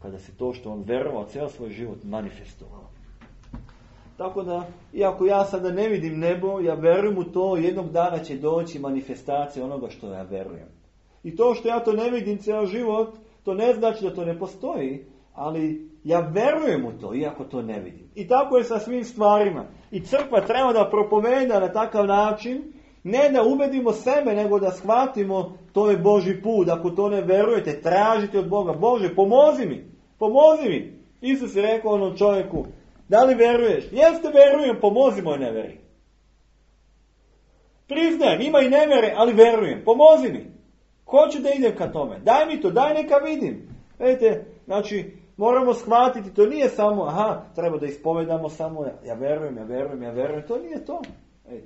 kada se to što on verovao cijel svoj život manifestovalo. Tako da, iako ja sada ne vidim nebo, ja verujem u to, jednog dana će doći manifestacija onoga što ja verujem. I to što ja to ne vidim cijel život, to ne znači da to ne postoji, ali ja verujem u to, iako to ne vidim. I tako je sa svim stvarima. I crkva treba da propoveda na takav način, ne da ubedimo sebe, nego da shvatimo to je Božji put. Ako to ne verujete, tražite od Boga. Bože, pomozi mi, pomozi mi. Isus je rekao onom čovjeku, da li veruješ? Jeste, verujem, pomozi moj neveri. Priznajem, ima i nevere, ali verujem, pomozi mi. Hoću da idem ka tome. Daj mi to, daj neka vidim. Vidite, znači, moramo shvatiti, to nije samo, aha, treba da ispovedamo samo, ja, ja verujem, ja verujem, ja verujem. To nije to. Ej,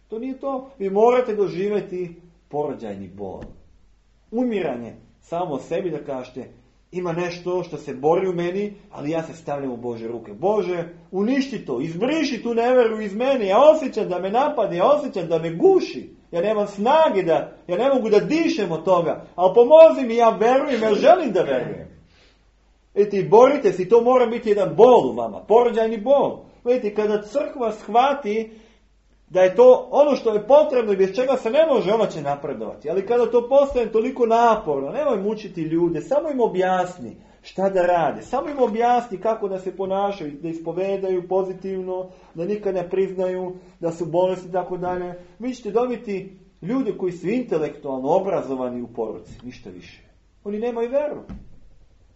to nije to. Vi morate doživjeti porođajni bol. Umiranje samo sebi da kažete, ima nešto što se bori u meni, ali ja se stavljam u Bože ruke. Bože, uništi to, izbriši tu neveru iz mene. Ja osjećam da me napade, ja osjećam da me guši. Ja nemam snage da, ja ne mogu da dišem od toga. Ali pomozi mi, ja verujem, ja želim da verujem. Vidite, borite se, to mora biti jedan bol u vama, porođajni bol. Vidite, kada crkva shvati da je to ono što je potrebno i bez čega se ne može, ona će napredovati. Ali kada to postane toliko naporno, nemoj mučiti ljude, samo im objasni šta da rade. Samo im objasni kako da se ponašaju, da ispovedaju pozitivno, da nikad ne priznaju, da su bolesti i tako dalje. Vi ćete dobiti ljude koji su intelektualno obrazovani u poruci, ništa više. Oni nemaju veru.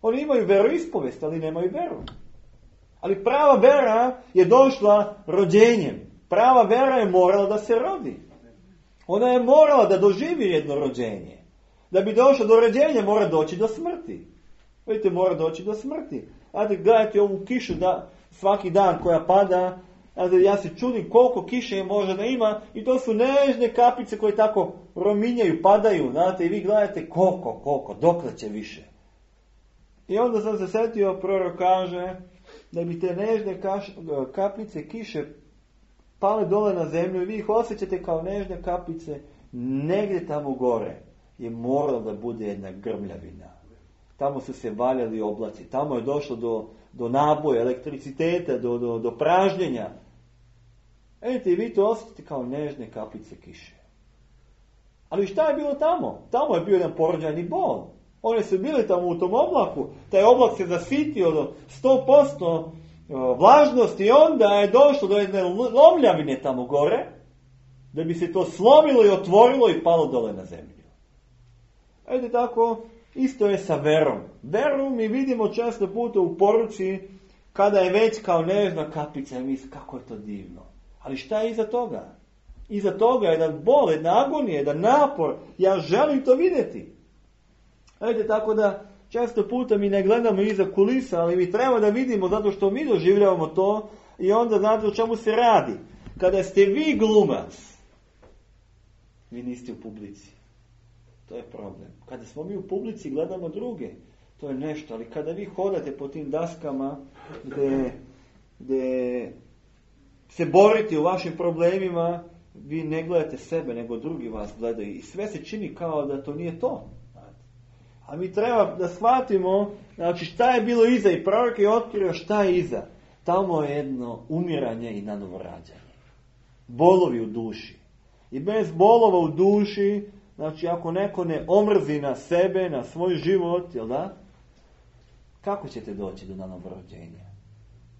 Oni imaju veroispovest, ali nemaju veru. Ali prava vera je došla rođenjem. Prava vera je morala da se rodi. Ona je morala da doživi jedno rođenje. Da bi došla do rođenja mora doći do smrti. Vidite, mora doći do smrti. Znate, gledajte ovu kišu da, svaki dan koja pada. Znate, ja se čudim koliko kiše je može da ima. I to su nežne kapice koje tako rominjaju, padaju. Znate, i vi gledajte koliko, koliko, dokle će više. I onda sam se setio, prorok kaže da bi te nežne kaš, kapice kiše pale dole na zemlju i vi ih osjećate kao nežne kapice, negdje tamo gore je moralo da bude jedna grmljavina. Tamo su se valjali oblaci, tamo je došlo do, do naboja, elektriciteta, do, do, do pražnjenja. Vidite, i vi to osjećate kao nežne kapice kiše. Ali šta je bilo tamo? Tamo je bio jedan porođajni bol. Oni su bili tamo u tom oblaku, taj oblak se zasitio do sto posto vlažnosti i onda je došlo do jedne lomljavine tamo gore, da bi se to slomilo i otvorilo i palo dole na zemlju. Ajde tako, isto je sa verom. Veru mi vidimo često puta u poruci, kada je već kao nežna kapica i misli kako je to divno. Ali šta je iza toga? Iza toga je jedan bol, jedna agonija, jedan napor. Ja želim to vidjeti. Ajde tako da često puta mi ne gledamo iza kulisa, ali mi treba da vidimo zato što mi doživljavamo to i onda znate o čemu se radi. Kada ste vi glumac, vi niste u publici. To je problem. Kada smo mi u publici gledamo druge, to je nešto. Ali kada vi hodate po tim daskama gdje, gdje se borite u vašim problemima, vi ne gledate sebe, nego drugi vas gledaju. I sve se čini kao da to nije to. A mi treba da shvatimo, znači šta je bilo iza i prorok je otkrio šta je iza. Tamo je jedno umiranje i nanovorađanje. Bolovi u duši. I bez bolova u duši, znači ako neko ne omrzi na sebe, na svoj život, jel da? Kako ćete doći do nanorođenja?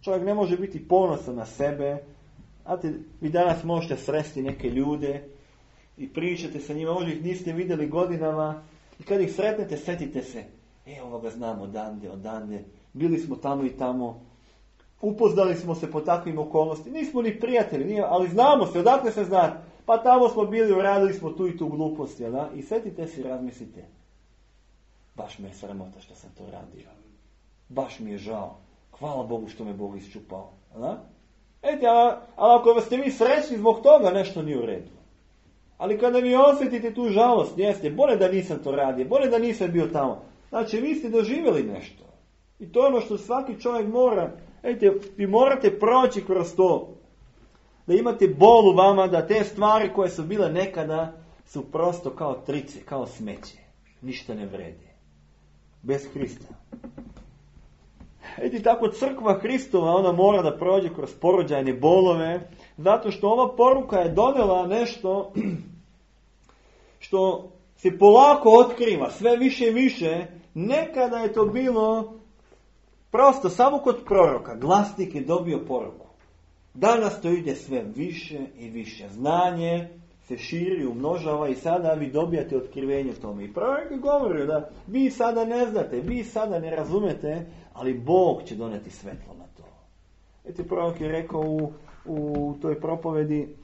Čovjek ne može biti ponosan na sebe. Znate, vi danas možete sresti neke ljude i pričate sa njima, možda ih niste vidjeli godinama. I kad ih sretnete, setite se, e, ovoga znamo odande, odande, bili smo tamo i tamo, upoznali smo se po takvim okolnostima, nismo ni prijatelji, nije, ali znamo se, odakle se znate, pa tamo smo bili, uradili smo tu i tu glupost, jel da? I setite se i razmislite, baš me je sramota što sam to radio, baš mi je žao, hvala Bogu što me Bog isčupao, jel da? Eti, ali ako ste vi srećni zbog toga, nešto nije u redu. Ali kada vi osjetite tu žalost, jeste, bolje da nisam to radio, bolje da nisam bio tamo. Znači, vi ste doživjeli nešto. I to je ono što svaki čovjek mora. Eti, vi morate proći kroz to. Da imate bol u vama, da te stvari koje su bile nekada su prosto kao trice, kao smeće. Ništa ne vredi. Bez Hrista. Eti tako crkva Hristova, ona mora da prođe kroz porođajne bolove, zato što ova poruka je donela nešto što se polako otkriva, sve više i više. Nekada je to bilo prosto samo kod proroka. Glasnik je dobio poruku. Danas to ide sve više i više. Znanje se širi, umnožava i sada vi dobijate otkrivenje tome. I prorok je govorio da vi sada ne znate, vi sada ne razumete, ali Bog će doneti svetlo na to. Eti prorok je rekao u, u toj propovedi,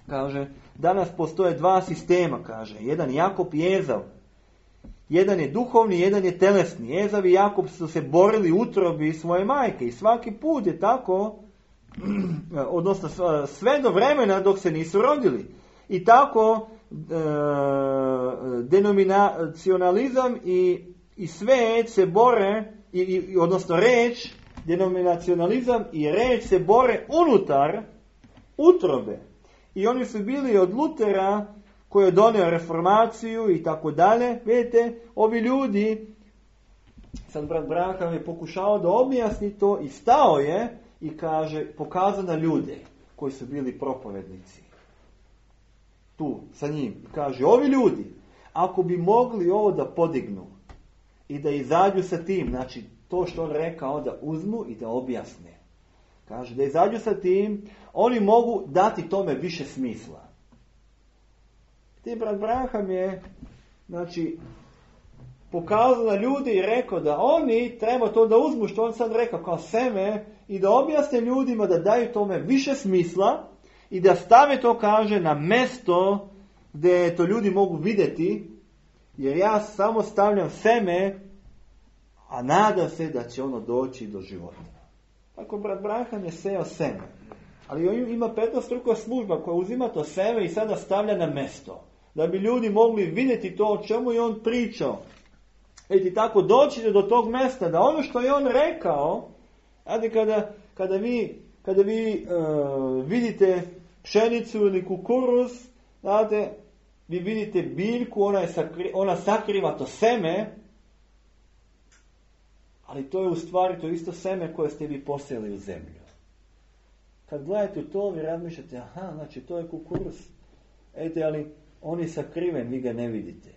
kaže, danas postoje dva sistema, kaže, jedan Jakob i Ezav. Jedan je duhovni, jedan je telesni. Ezav i Jakob su se borili u utrobi svoje majke i svaki put je tako, odnosno sve do vremena dok se nisu rodili. I tako e, denominacionalizam i, i svet se bore, i, i, odnosno reč, denominacionalizam i reč se bore unutar utrobe. I oni su bili od Lutera, koji je donio reformaciju i tako dalje. Vidite, ovi ljudi, sad brat Branham je pokušao da objasni to i stao je i kaže, pokazao na ljude koji su bili propovednici. Tu, sa njim. Kaže, ovi ljudi, ako bi mogli ovo da podignu i da izađu sa tim, znači to što on rekao da uzmu i da objasne. Kaže, da izađu sa tim, oni mogu dati tome više smisla. Ti brat Branham je, znači, pokazao na ljude i rekao da oni treba to da uzmu, što on sad rekao, kao seme, i da objasne ljudima da daju tome više smisla i da stave to, kaže, na mesto gdje to ljudi mogu vidjeti, jer ja samo stavljam seme, a nadam se da će ono doći do života. Tako brat Branham je seo seme. Ali ima petnaestostruka služba koja uzima to seme i sada stavlja na mesto. Da bi ljudi mogli vidjeti to o čemu je on pričao. Eti tako doći do tog mesta da ono što je on rekao, znate, kada, kada vi, kada vi uh, vidite pšenicu ili kukuruz, znate, vi vidite biljku, ona, je sakri, ona sakriva to seme, ali to je u stvari to isto seme koje ste vi posijali u zemlju. Kad gledate u to, vi razmišljate, aha, znači to je kukuruz. Ejte, ali on je sakriven, vi ga ne vidite.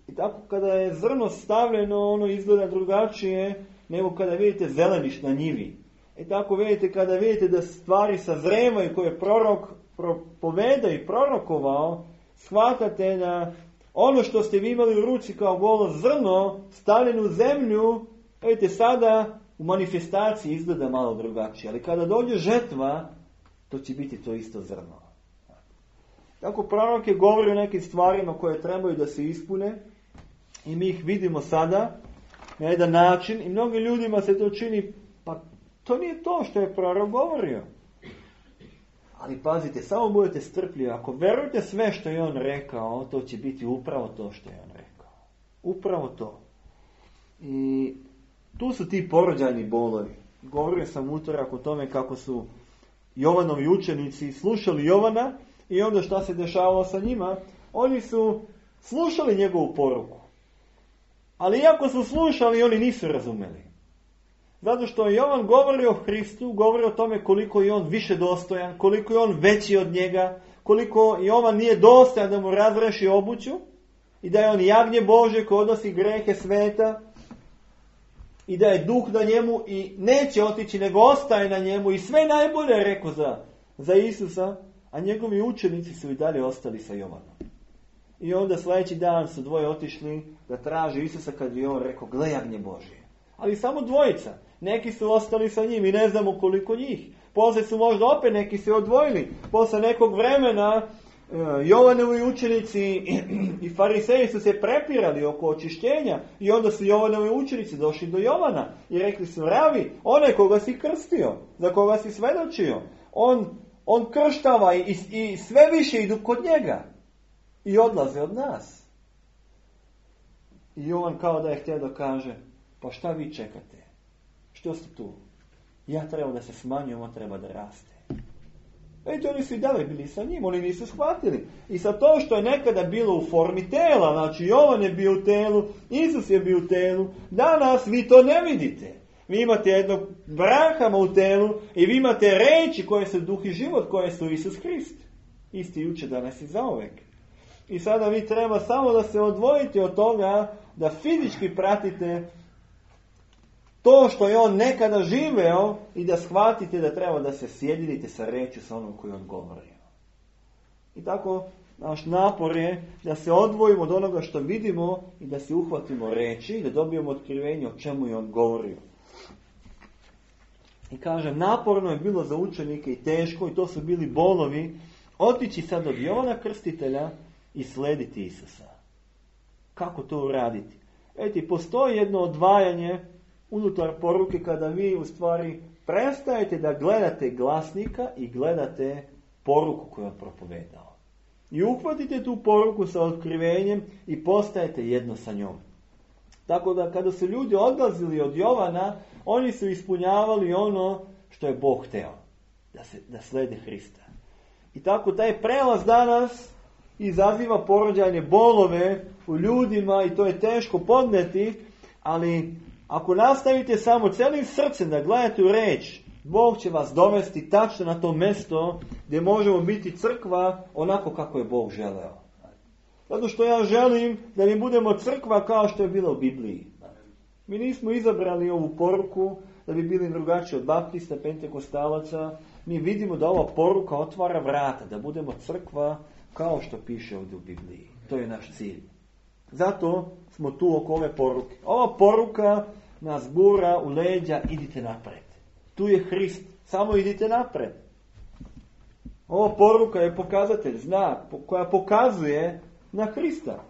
I tako kada je zrno stavljeno, ono izgleda drugačije nego kada vidite zeleniš na njivi. I tako vidite kada vidite da stvari sazrevaju koje je prorok propoveda i prorokovao, shvatate da ono što ste vi imali u ruci kao golo zrno, stavljeno u zemlju, vidite sada u manifestaciji izgleda malo drugačije. Ali kada dođe žetva, to će biti to isto zrno. Tako prorok je govorio o nekim stvarima koje trebaju da se ispune i mi ih vidimo sada na jedan način i mnogim ljudima se to čini, pa to nije to što je prorok govorio. Ali pazite, samo budete strpljivi. Ako verujete sve što je on rekao, to će biti upravo to što je on rekao. Upravo to. I tu su ti porođajni bolovi. Govorio sam utorak o tome kako su Jovanovi učenici slušali Jovana i onda šta se dešavalo sa njima. Oni su slušali njegovu poruku. Ali iako su slušali, oni nisu razumeli. Zato što Jovan govori o Hristu, govori o tome koliko je on više dostojan, koliko je on veći od njega, koliko Jovan nije dostojan da mu razreši obuću i da je on jagnje Bože koji odnosi grehe sveta i da je duh na njemu i neće otići nego ostaje na njemu i sve najbolje je rekao za, za Isusa, a njegovi učenici su i dalje ostali sa Jovanom. I onda sljedeći dan su dvoje otišli da traže Isusa kad je on rekao, gle jagnje Božje. Ali samo dvojica. Neki su ostali sa njim i ne znamo koliko njih. Poslije su možda opet neki se odvojili. Posle nekog vremena Jovanovi učenici i fariseji su se prepirali oko očišćenja i onda su Jovanovi učenici došli do Jovana i rekli su: ravi, onaj koga si krstio, za koga si svedočio, on, on krštava i, i sve više idu kod njega i odlaze od nas. I Jovan kao da je htio da kaže: pa šta vi čekate? Što ste tu? Ja treba da se smanjujem, on treba da raste. Vidite, oni su i dalje bili sa njim, oni nisu shvatili. I sa to što je nekada bilo u formi tela, znači Jovan je bio u telu, Isus je bio u telu, danas vi to ne vidite. Vi imate jednog Branhama u telu i vi imate reči koje su duh i život, koje su Isus Hrist. Isti juče, danas i zauvek. I sada vi treba samo da se odvojite od toga, da fizički pratite to što je on nekada živeo i da shvatite da treba da se sjedinite sa rečju sa onom koju on govorio. I tako naš napor je da se odvojimo od onoga što vidimo i da se uhvatimo reči i da dobijemo otkrivenje o čemu je on govorio. I kažem, naporno je bilo za učenike i teško, i to su bili bolovi, otići sad od Jovana Krstitelja i slediti Isusa. Kako to uraditi? Eti, postoji jedno odvajanje unutar poruke kada vi u stvari prestajete da gledate glasnika i gledate poruku koju je propovedao. I uhvatite tu poruku sa otkrivenjem i postajete jedno sa njom. Tako da kada su ljudi odlazili od Jovana, oni su ispunjavali ono što je Bog hteo, da, se, da slede Hrista. I tako taj prelaz danas izaziva porođajne bolove u ljudima i to je teško podneti, ali ako nastavite samo celim srcem da gledate u reč, Bog će vas dovesti tačno na to mjesto gdje možemo biti crkva onako kako je Bog želeo. Zato što ja želim da mi budemo crkva kao što je bila u Bibliji. Mi nismo izabrali ovu poruku da bi bili drugačiji od baptista, pentekostalaca. Mi vidimo da ova poruka otvara vrata, da budemo crkva kao što piše ovdje u Bibliji. To je naš cilj. Zato smo tu oko ove poruke. Ova poruka nas gura u leđa, idite napred. Tu je Hrist, samo idite napred. Ova poruka je pokazatelj, znak, koja pokazuje na Hrista.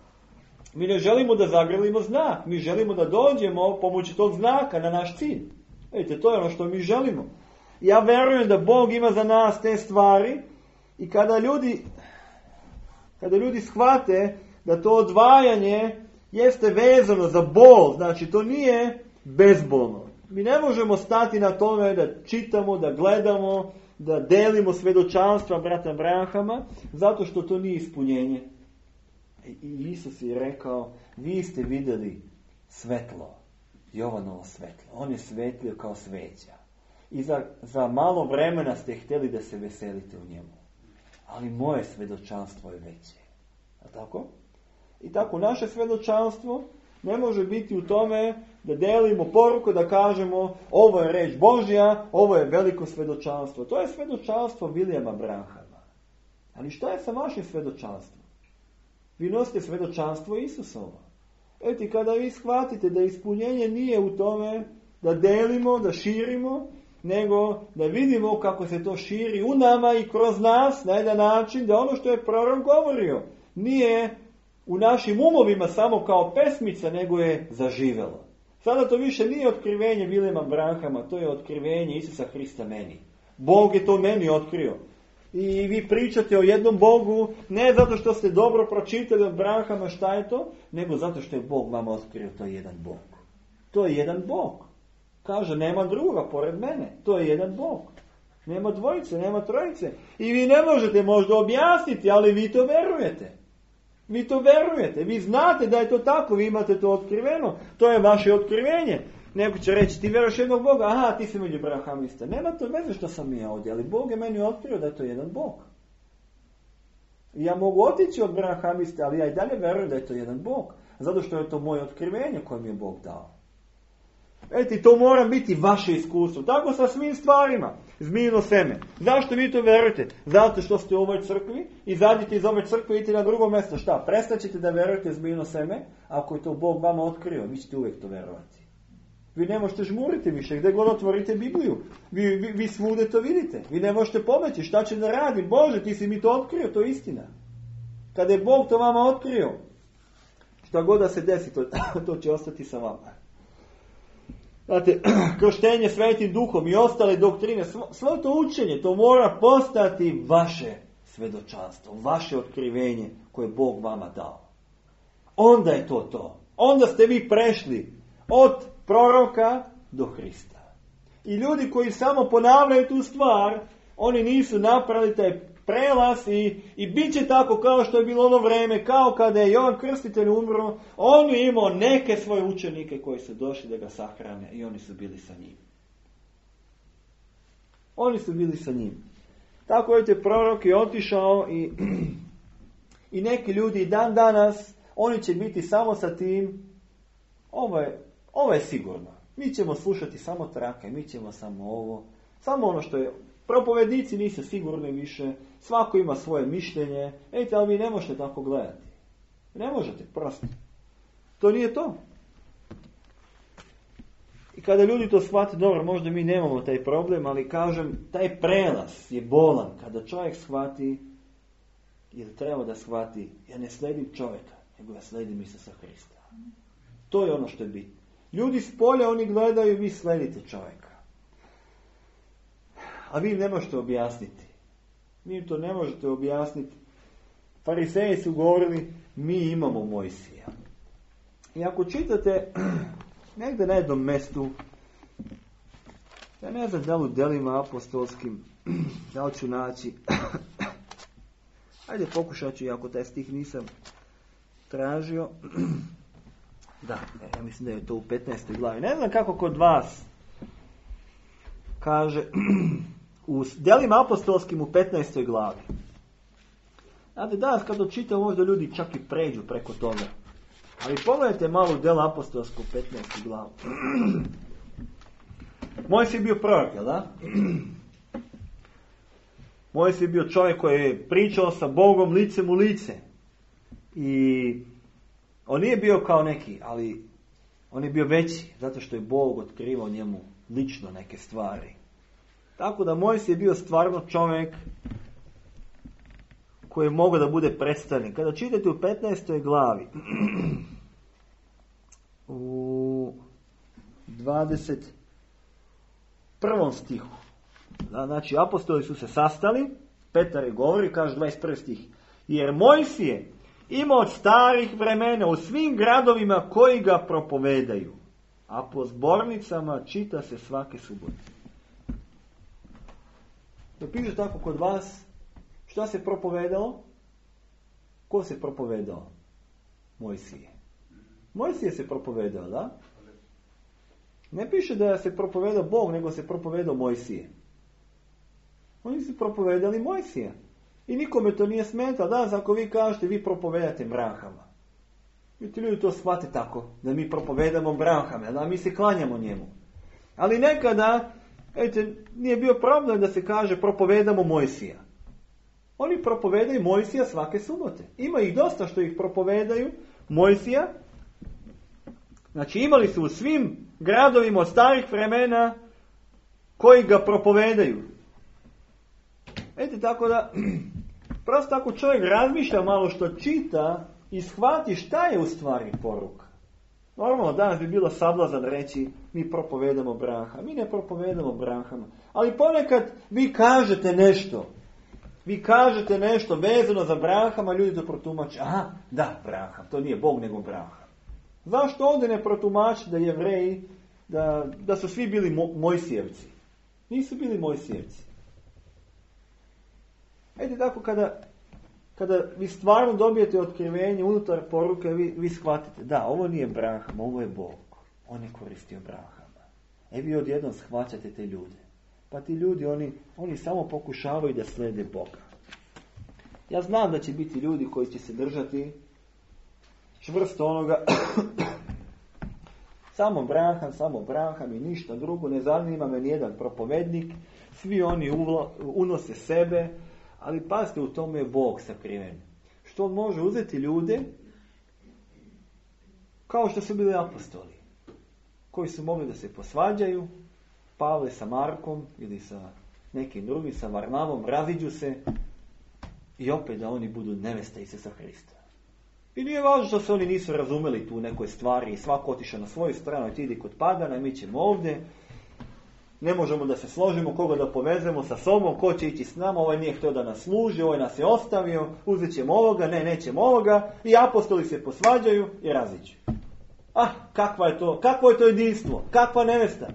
Mi ne želimo da zagrlimo znak, mi želimo da dođemo pomoću tog znaka na naš cilj. Vidite, to je ono što mi želimo. Ja verujem da Bog ima za nas te stvari i kada ljudi, kada ljudi shvate da to odvajanje jeste vezano za bol, znači to nije bezbolno. Mi ne možemo stati na tome da čitamo, da gledamo, da delimo svedočanstva brata Branhama, zato što to nije ispunjenje. I Isus je rekao, vi ste vidjeli svetlo, Jovanovo svetlo. On je svetlio kao sveća. I za, za malo vremena ste htjeli da se veselite u njemu. Ali moje svedočanstvo je veće. A tako? I tako naše svedočanstvo ne može biti u tome da delimo poruku, da kažemo ovo je reč Božja, ovo je veliko svedočanstvo. To je svedočanstvo Vilijama Branhama. Ali šta je sa vašim svedočanstvom? Vi nosite svedočanstvo Isusova. Eto, kada vi shvatite da ispunjenje nije u tome da delimo, da širimo, nego da vidimo kako se to širi u nama i kroz nas na jedan način, da ono što je prorok govorio nije u našim umovima samo kao pesmica, nego je zaživelo. Sada to više nije otkrivenje Vilijama Branhama, to je otkrivenje Isusa Hrista meni. Bog je to meni otkrio. I vi pričate o jednom Bogu, ne zato što ste dobro pročitali od Branhama šta je to, nego zato što je Bog vama otkrio, to je jedan Bog. To je jedan Bog. Kaže, nema druga pored mene, to je jedan Bog. Nema dvojice, nema trojice. I vi ne možete možda objasniti, ali vi to verujete. Vi to verujete, vi znate da je to tako, vi imate to otkriveno, to je vaše otkrivenje. Neko će reći, ti veruješ jednog Boga, aha, ti si među Branhamista. Nema to veze što sam ja ovdje, ali Bog je meni otkrio da je to jedan Bog. I ja mogu otići od Branhamista, ali ja i dalje verujem da je to jedan Bog, zato što je to moje otkrivenje koje mi je Bog dao. Eti, to mora biti vaše iskustvo. Tako sa svim stvarima. Zmijino seme. Zašto vi to verujete? Zato što ste u ovoj crkvi, izađite iz ove crkve i idite na drugo mjesto. Šta? Prestaćete da verujete zmijino seme? Ako je to Bog vama otkrio, vi ćete uvijek to verovati. Vi ne možete žmuriti više. Gdje god otvorite Bibliju, vi, vi, vi svude to vidite. Vi ne možete pobeći. Šta će da radi? Bože, ti si mi to otkrio, to je istina. Kada je Bog to vama otkrio, šta god da se desi, to, to će ostati sa vama. Znate, krštenje svetim duhom i ostale doktrine, svo, svo to učenje, to mora postati vaše svedočanstvo, vaše otkrivenje koje je Bog vama dao. Onda je to to. Onda ste vi prešli od proroka do Hrista. I ljudi koji samo ponavljaju tu stvar, oni nisu napravili taj prelaz i, i bit će tako kao što je bilo ono vreme, kao kada je Jovan Krstitelj umro, on je imao neke svoje učenike koji su došli da ga sahrane i oni su bili sa njim. Oni su bili sa njim. Tako je prorok je otišao i, i neki ljudi dan danas, oni će biti samo sa tim, ovo je, ovo je sigurno. Mi ćemo slušati samo trake, mi ćemo samo ovo, samo ono što je. Propovednici nisu sigurni više, svako ima svoje mišljenje, ejte, ali vi ne možete tako gledati. Ne možete, prosto. To nije to. I kada ljudi to shvate, dobro, možda mi nemamo taj problem, ali kažem, taj prelaz je bolan. Kada čovjek shvati, ili treba da shvati, ja ne sledim čovjeka, nego ja sledim Isusa Hrista. To je ono što je bitno. Ljudi s polja, oni gledaju, vi sledite čovjeka. A vi im ne možete objasniti. Vi im to ne možete objasniti. Fariseji su govorili, mi imamo Mojsija. I ako čitate negdje na jednom mestu, ja ne znam da li u delima apostolskim, da li ću naći, ajde pokušat ću, iako taj stih nisam tražio. Da, ja mislim da je to u petnaestoj glavi. Ne znam kako kod vas kaže u delima apostolskim u petnaestoj glavi. Znate, danas kad očitam, možda ljudi čak i pređu preko toga. Ali pogledajte malo u dela apostolsku u petnaestoj glavi. Mojsij je bio prorok, jel da? Mojsij je bio čovjek koji je pričao sa Bogom licem u lice. I on nije bio kao neki, ali on je bio veći, zato što je Bog otkrivao njemu lično neke stvari. Tako da Mojsij je bio stvarno čovjek koji je mogao da bude predstavnik. Kada čitate u petnaestoj glavi, u dvadeset prvom stihu, znači apostoli su se sastali, Petar je govori, kaže dvadeset prvi stih, jer Mojsije ima od starih vremena u svim gradovima koji ga propovedaju, a po zbornicama čita se svake subote. Da piše tako kod vas, šta se propovedalo? Ko se propovedao? Mojsije. Mojsije se propovedao, da? Ne piše da se propovedao Bog, nego se propovedao Mojsije. Oni su propovedali Mojsija. I nikome to nije smetalo. Danas ako vi kažete, vi propovedate Branhama. I ti ljudi to shvate tako, da mi propovedamo Branhama, da mi se klanjamo njemu. Ali nekada, ejte, nije bio problem da se kaže propovedamo Mojsija. Oni propovedaju Mojsija svake subote. Ima ih dosta što ih propovedaju Mojsija. Znači imali su u svim gradovima od starih vremena koji ga propovedaju. Ejte, tako da, prosto ako čovjek razmišlja malo što čita i shvati šta je u stvari poruka. Normalno, danas bi bilo sablazan reći, mi propovedamo Branhama. Mi ne propovedamo Branhama. Ali ponekad vi kažete nešto. Vi kažete nešto vezano za Branhama, ljudi to protumače. Aha, da, Branham, to nije Bog nego Branham. Zašto ovdje ne protumači da Jevreji, da, da su svi bili mo, Mojsijevci? Nisu bili Mojsijevci. Ejte tako, kada, kada vi stvarno dobijete otkrivenje unutar poruke, vi, vi shvatite, da, ovo nije Branham, ovo je Bog. On je koristio Branhama. E vi odjednom shvaćate te ljude. Pa ti ljudi, oni, oni samo pokušavaju da slede Boga. Ja znam da će biti ljudi koji će se držati čvrsto onoga samo Branham, samo Branham i ništa drugo, ne zanima me nijedan propovednik, svi oni uvla, unose sebe, ali pazite, u tome je Bog sakriven. Što on može uzeti ljude kao što su bili apostoli, koji su mogli da se posvađaju, Pavle sa Markom ili sa nekim drugim, sa Varnavom, raziđu se i opet da oni budu neveste Isusa Hrista. I nije važno što se oni nisu razumeli tu u nekoj stvari i svako otišao na svoju stranu i ti idi kod pagana i mi ćemo ovdje. Ne možemo da se složimo, koga da povezemo sa sobom, ko će ići s nama, ovaj nije htio da nas služi, ovaj nas je ostavio, uzet ćemo ovoga, ne, nećemo ovoga, i apostoli se posvađaju i raziđu. Ah, kakva je to, kakvo je to jedinstvo, kakva nevesta.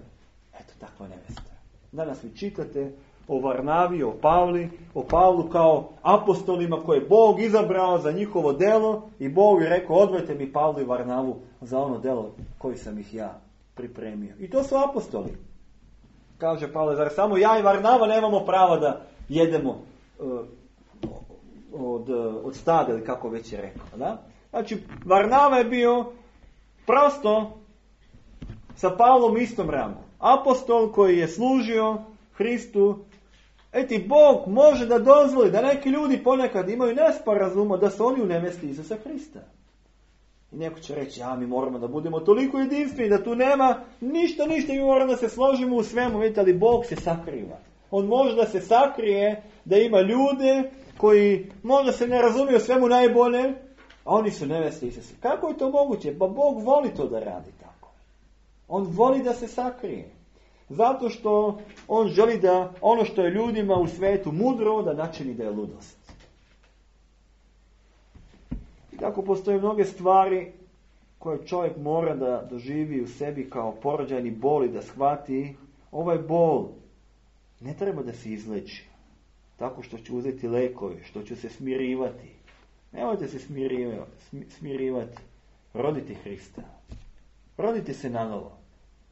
Eto, takva nevesta. Danas vi čitate o Varnavi, o Pavli, o Pavlu kao apostolima koje je Bog izabrao za njihovo delo i Bog je rekao, odvojte mi Pavlu i Varnavu za ono delo koji sam ih ja pripremio. I to su apostoli. Kaže Pavle, zar samo ja i Varnava nemamo prava da jedemo uh, od, od stada, ili kako već je rekao. Da? Znači, Varnava je bio prosto sa Pavlom istom rangu. Apostol koji je služio Hristu. Eti, Bog može da dozvoli da neki ljudi ponekad imaju nesporazuma da su oni u nevesti Isusa Hrista. I neko će reći, ja, mi moramo da budemo toliko jedinstveni, da tu nema ništa, ništa, mi moramo da se složimo u svemu, vidite, ali Bog se sakriva. On može da se sakrije, da ima ljude koji možda se ne razumiju svemu najbolje, a oni su neveste Isusa. Kako je to moguće? Pa Bog voli to da radi tako. On voli da se sakrije. Zato što on želi da ono što je ljudima u svetu mudro, da načini da je ludost. I tako postoje mnoge stvari koje čovjek mora da doživi u sebi kao porođajni bol i da shvati. Ovaj bol ne treba da se izleči tako što ću uzeti lekove, što ću se smirivati. Nemojte se smirivati. smirivati. Rodite Hrista. Rodite se na novo.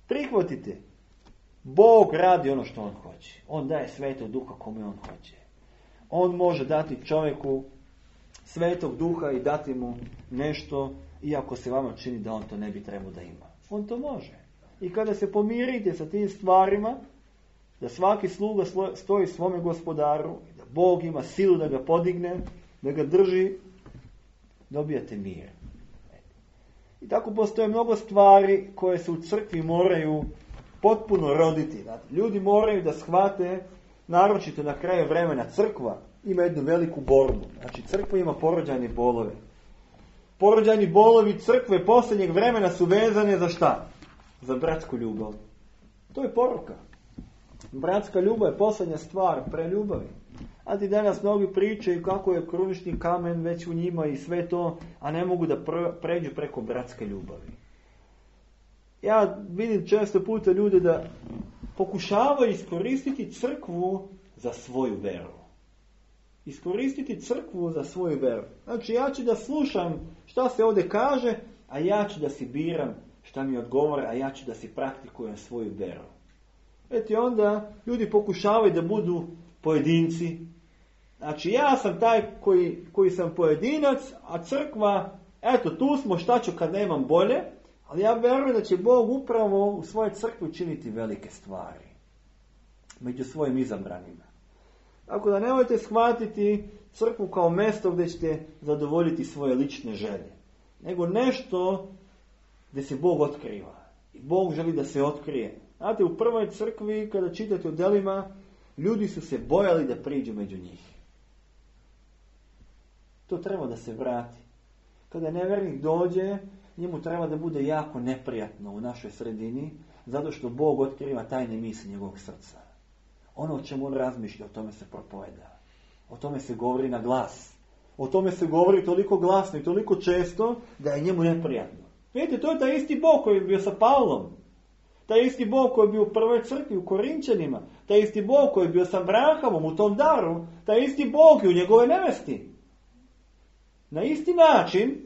Prihvatite. Bog radi ono što on hoće. On daje Svetog Duha kome on hoće. On može dati čovjeku Svetog Duha i dati mu nešto, iako se vama čini da on to ne bi trebao da ima. On to može. I kada se pomirite sa tim stvarima, da svaki sluga stoji svome gospodaru, da Bog ima silu da ga podigne, da ga drži, dobijate mir. I tako postoje mnogo stvari koje se u crkvi moraju potpuno roditi. Znači, ljudi moraju da shvate, naročito na kraju vremena, crkva ima jednu veliku borbu. Znači, crkva ima porođajne bolove. Porođajni bolovi crkve posljednjeg vremena su vezane za šta? Za bratsku ljubav. To je poruka. Bratska ljubav je posljednja stvar pre ljubavi. A ti danas mnogi pričaju kako je krunični kamen već u njima i sve to, a ne mogu da pređu preko bratske ljubavi. Ja vidim često puta ljude da pokušavaju iskoristiti crkvu za svoju veru. Iskoristiti crkvu za svoju veru. Znači, ja ću da slušam šta se ovdje kaže, a ja ću da si biram šta mi odgovore, a ja ću da si praktikujem svoju veru. Eto, onda ljudi pokušavaju da budu pojedinci. Znači, ja sam taj koji, koji sam pojedinac, a crkva, eto, tu smo, šta ću kad nemam bolje, ali ja verujem da će Bog upravo u svojoj crkvi učiniti velike stvari među svojim izabranima. Tako da nemojte shvatiti crkvu kao mjesto gdje ćete zadovoljiti svoje lične želje, nego nešto gdje se Bog otkriva. I Bog želi da se otkrije. Znate, u prvoj crkvi, kada čitate o delima, ljudi su se bojali da priđu među njih. To treba da se vrati. Kada nevjernik dođe, njemu treba da bude jako neprijatno u našoj sredini, zato što Bog otkriva tajne misli njegovog srca. Ono o čemu on razmišlja, o tome se propoveda. O tome se govori na glas. O tome se govori toliko glasno i toliko često da je njemu neprijatno. Vidite, to je taj isti Bog koji je bio sa Pavlom. Taj isti Bog koji je bio u prvoj crkvi u Korinčanima. Taj isti Bog koji je bio sa Abrahamom u tom daru. Taj isti Bog je u njegove nevesti. Na isti način,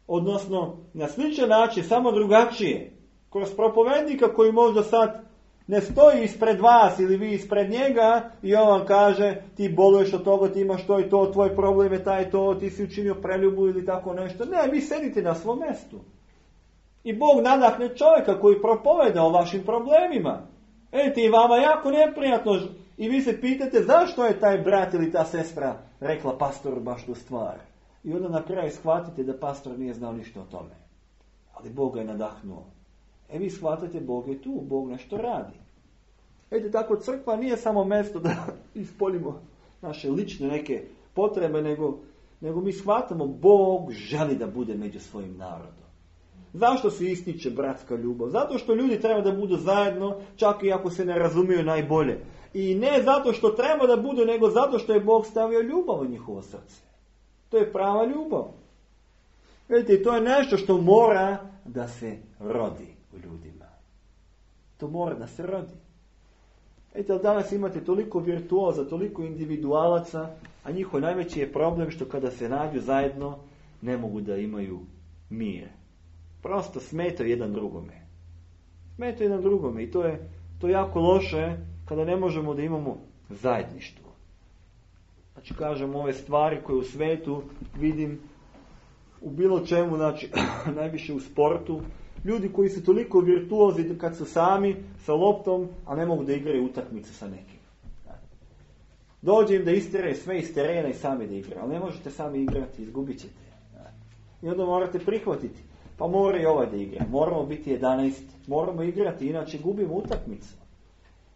odnosno na sličan način, samo drugačije. Kroz propovednika koji možda sad ne stoji ispred vas ili vi ispred njega i on vam kaže ti boluješ od toga, ti imaš to i to, tvoj problem je taj to, ti si učinio preljubu ili tako nešto. Ne, vi sedite na svom mjestu. I Bog nadahne čovjeka koji propoveda o vašim problemima. Vidite, i vama jako neprijatno i vi se pitate zašto je taj brat ili ta sestra rekla pastoru baš tu stvar. I onda na kraju shvatite da pastor nije znao ništa o tome. Ali Bog ga je nadahnuo. E vi shvatate, Bog je tu, Bog nešto radi. Vidite, tako crkva nije samo mjesto da ispoljimo naše lične neke potrebe, nego, nego mi shvatamo Bog želi da bude među svojim narodom. Zašto se ističe bratska ljubav? Zato što ljudi treba da budu zajedno, čak i ako se ne razumiju najbolje. I ne zato što treba da budu, nego zato što je Bog stavio ljubav u njihovo srce. To je prava ljubav. Vidite, to je nešto što mora da se rodi u ljudima. To mora da se rodi. Vidite, danas imate toliko virtuoza, toliko individualaca, a njihov najveći je problem što kada se nađu zajedno ne mogu da imaju mir. Prosto smetaju jedan drugome. Smetaju jedan drugome i to je, to je jako loše kada ne možemo da imamo zajedništvo. Znači, kažem, ove stvari koje u svetu vidim u bilo čemu, znači, najviše u sportu, ljudi koji su toliko virtuozi kad su sami sa loptom, a ne mogu da igraju utakmicu sa nekim. Dođe im da istiraju sve iz terena i sami da igraju, ali ne možete sami igrati, izgubit ćete. I onda morate prihvatiti. Pa mora i ovaj da igra. Moramo biti jedanaest. Moramo igrati, inače gubimo utakmicu.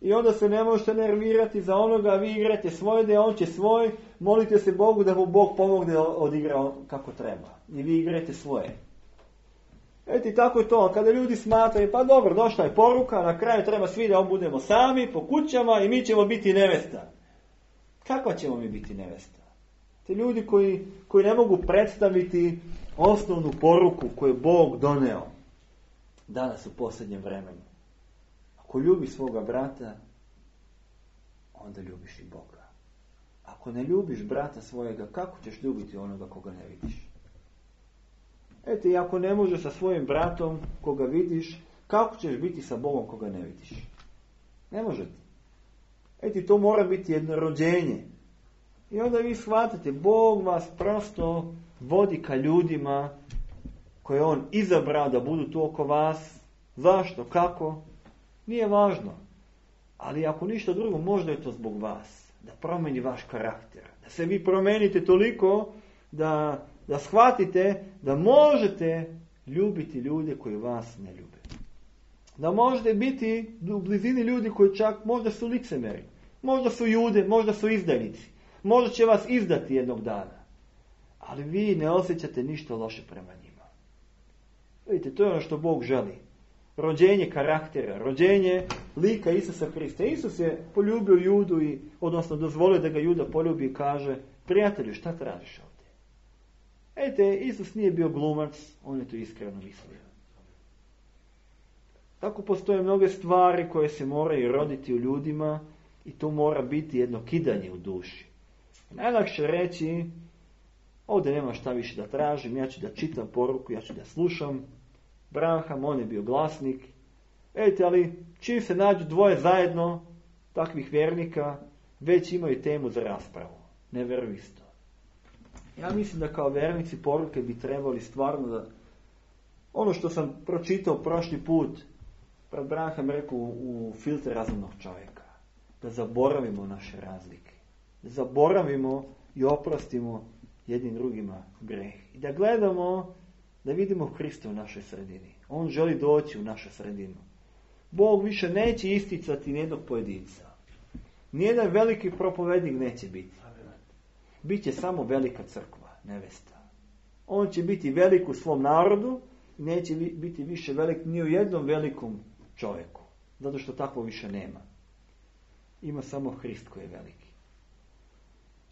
I onda se ne možete nervirati za onoga, vi igrate svoje, da on će svoj, molite se Bogu da mu Bog pomogne da odigra kako treba. I vi igrate svoje. Eto i tako je to. Kada ljudi smatraju, pa dobro, došla je poruka, na kraju treba svi da budemo sami, po kućama i mi ćemo biti nevesta. Kakva ćemo mi biti nevesta? Te ljudi koji, koji ne mogu predstaviti osnovnu poruku koju je Bog doneo danas u posljednjem vremenu. Ako ljubiš svoga brata, onda ljubiš i Boga. Ako ne ljubiš brata svojega, kako ćeš ljubiti onoga koga ne vidiš? Eto, i ako ne možeš sa svojim bratom koga vidiš, kako ćeš biti sa Bogom koga ne vidiš? Ne možete. Eto, to mora biti jedno rođenje. I onda vi shvatate, Bog vas prosto vodi ka ljudima koje on izabrao da budu tu oko vas. Zašto? Kako? Nije važno. Ali ako ništa drugo, možda je to zbog vas. Da promeni vaš karakter. Da se vi promenite toliko da, da shvatite da možete ljubiti ljude koji vas ne ljube. Da možete biti u blizini ljudi koji čak možda su licemeri. Možda su jude, možda su izdajnici. Možda će vas izdati jednog dana. Ali vi ne osjećate ništa loše prema njima. Vidite, to je ono što Bog želi. Rođenje karaktera, rođenje lika Isusa Hrista. Isus je poljubio Judu, i, odnosno dozvolio da ga Juda poljubi i kaže, prijatelju, šta tražiš ovdje? Vidite, Isus nije bio glumac, on je to iskreno mislio. Tako postoje mnoge stvari koje se moraju roditi u ljudima i to mora biti jedno kidanje u duši. Najlakše reći, ovdje nema šta više da tražim, ja ću da čitam poruku, ja ću da slušam. Branham, on je bio glasnik. Vidite, ali čim se nađu dvoje zajedno, takvih vjernika, već imaju temu za raspravu. Ne veruju isto. Ja mislim da kao vjernici poruke bi trebali stvarno da... Ono što sam pročitao prošli put, pred Branham rekao u filter razumnog čovjeka, da zaboravimo naše razlike. Da zaboravimo i oprostimo jednim drugima greh. I da gledamo, da vidimo Hrista u našoj sredini. On želi doći u našu sredinu. Bog više neće isticati nijednog pojedinca. Nijedan veliki propovednik neće biti. Biće samo velika crkva, nevesta. On će biti velik u svom narodu, neće biti više velik ni u jednom velikom čovjeku. Zato što tako više nema. Ima samo Hrist koji je veliki.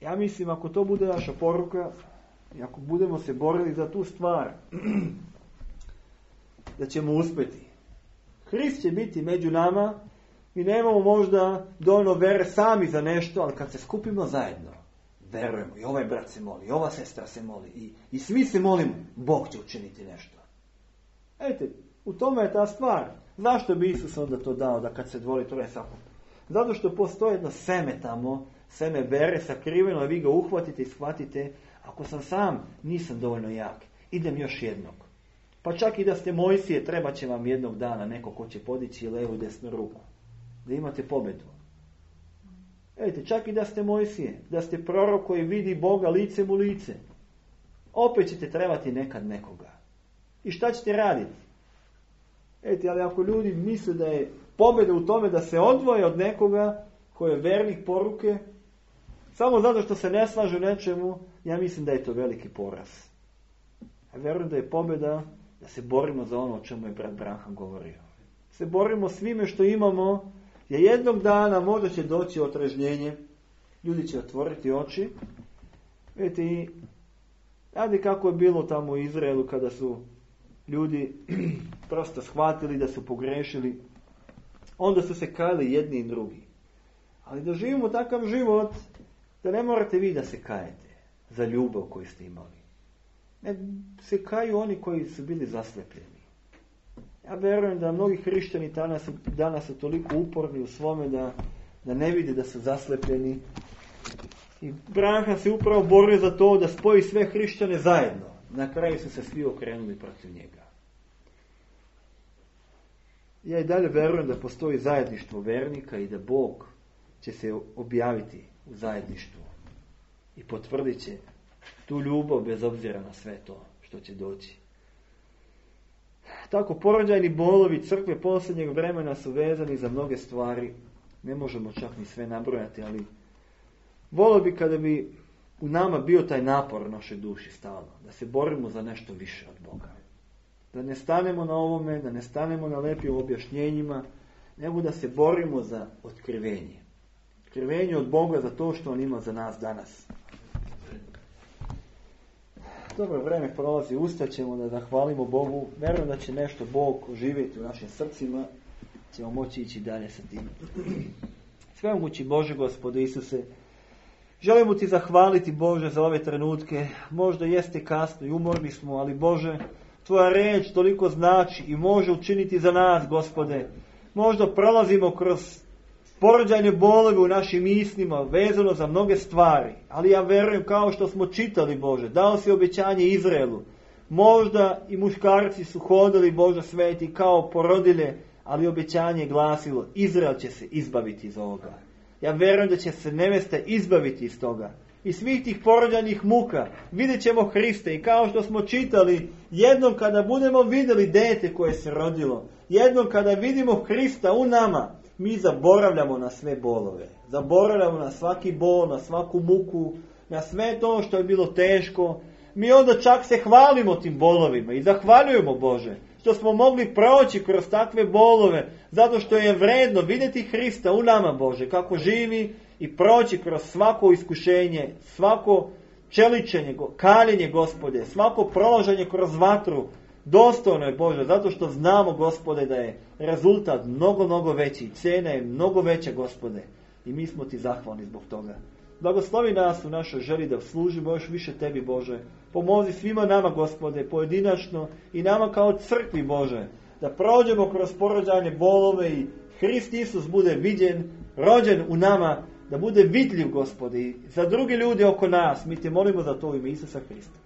Ja mislim, ako to bude naša poruka, i ako budemo se borili za tu stvar, da ćemo uspjeti. Hrist će biti među nama, mi nemamo možda dovoljno vere sami za nešto, ali kad se skupimo zajedno, verujemo, i ovaj brat se moli, i ova sestra se moli, i, i svi se molimo, Bog će učiniti nešto. Ejte, u tome je ta stvar. Zašto bi Isus onda to dao, da kad se dvori troje sakup? Zato što postoji jedno seme tamo, seme vere sakriveno, a vi ga uhvatite i shvatite, ako sam sam, nisam dovoljno jak. Idem još jednog. Pa čak i da ste Mojsije, treba će vam jednog dana neko ko će podići levu i desnu ruku. Da imate pobjedu. Vidite, čak i da ste Mojsije, da ste prorok koji vidi Boga licem u lice. Opet ćete trebati nekad nekoga. I šta ćete raditi? Vidite, ali ako ljudi misle da je pobjeda u tome da se odvoje od nekoga koji je vernik poruke, samo zato što se ne slažu nečemu, ja mislim da je to veliki poraz. Ja vjerujem da je pobjeda da se borimo za ono o čemu je brat Branham govorio. Se borimo svime što imamo, jer jednog dana možda će doći otrežnjenje, ljudi će otvoriti oči. Vidite, i radi kako je bilo tamo u Izraelu kada su ljudi prosto shvatili da su pogrešili, onda su se kajali jedni i drugi. Ali da živimo takav život, da ne morate vi da se kajete za ljubav koju ste imali. Ne, se kaju oni koji su bili zaslepljeni. Ja vjerujem da mnogi hrišćani danas, danas su toliko uporni u svome da, da ne vide da su zaslepljeni. I Branham se upravo borio za to da spoji sve hrišćane zajedno. Na kraju su se svi okrenuli protiv njega. Ja i dalje vjerujem da postoji zajedništvo vernika i da Bog će se objaviti u zajedništvu i potvrdit će tu ljubav bez obzira na sve to što će doći. Tako porođajni bolovi crkve posljednjeg vremena su vezani za mnoge stvari. Ne možemo čak ni sve nabrojati, ali volio bi kada bi u nama bio taj napor u našoj duši stalno. Da se borimo za nešto više od Boga. Da ne stanemo na ovome, da ne stanemo na lepim objašnjenjima, nego da se borimo za otkrivenje. Otkrivenje od Boga za to što On ima za nas danas. Dobro vreme prolazi, ustaćemo da zahvalimo Bogu. Vjerujem da će nešto Bog oživjeti u našim srcima. Ćemo moći ići dalje sa tim. Svemogući Bože, Gospode Isuse, želimo Ti zahvaliti, Bože, za ove trenutke. Možda jeste kasno i umorni smo, ali Bože, Tvoja riječ toliko znači i može učiniti za nas, Gospode. Možda prolazimo kroz porođajne bolove u našim mislima, vezano za mnoge stvari. Ali ja vjerujem, kao što smo čitali, Bože, dao si obećanje Izraelu. Možda i muškarci su hodili, Bože sveti, kao porodilje, ali obećanje je glasilo, Izrael će se izbaviti iz ovoga. Ja vjerujem da će se nevesta izbaviti iz toga. I svih tih porođajnih muka vidjet ćemo Hriste i kao što smo čitali, jednom kada budemo vidjeli dete koje se rodilo, jednom kada vidimo Hrista u nama, mi zaboravljamo na sve bolove. Zaboravljamo na svaki bol, na svaku muku, na sve to što je bilo teško. Mi onda čak se hvalimo tim bolovima i zahvaljujemo, Bože, što smo mogli proći kroz takve bolove, zato što je vredno vidjeti Hrista u nama, Bože, kako živi i proći kroz svako iskušenje, svako čeličenje, kaljenje, Gospode, svako prolaženje kroz vatru. Dostojno je, Bože, zato što znamo, Gospode, da je rezultat mnogo, mnogo veći, cena je mnogo veća, Gospode, i mi smo Ti zahvalni zbog toga. Blagoslovi nas u našoj želji da služimo još više Tebi, Bože. Pomozi svima nama, Gospode, pojedinačno i nama kao crkvi, Bože, da prođemo kroz porođajne bolove i Hrist Isus bude viđen, rođen u nama, da bude vidljiv, Gospode, i za druge ljude oko nas. Mi Te molimo za to u ime Isusa Hrista.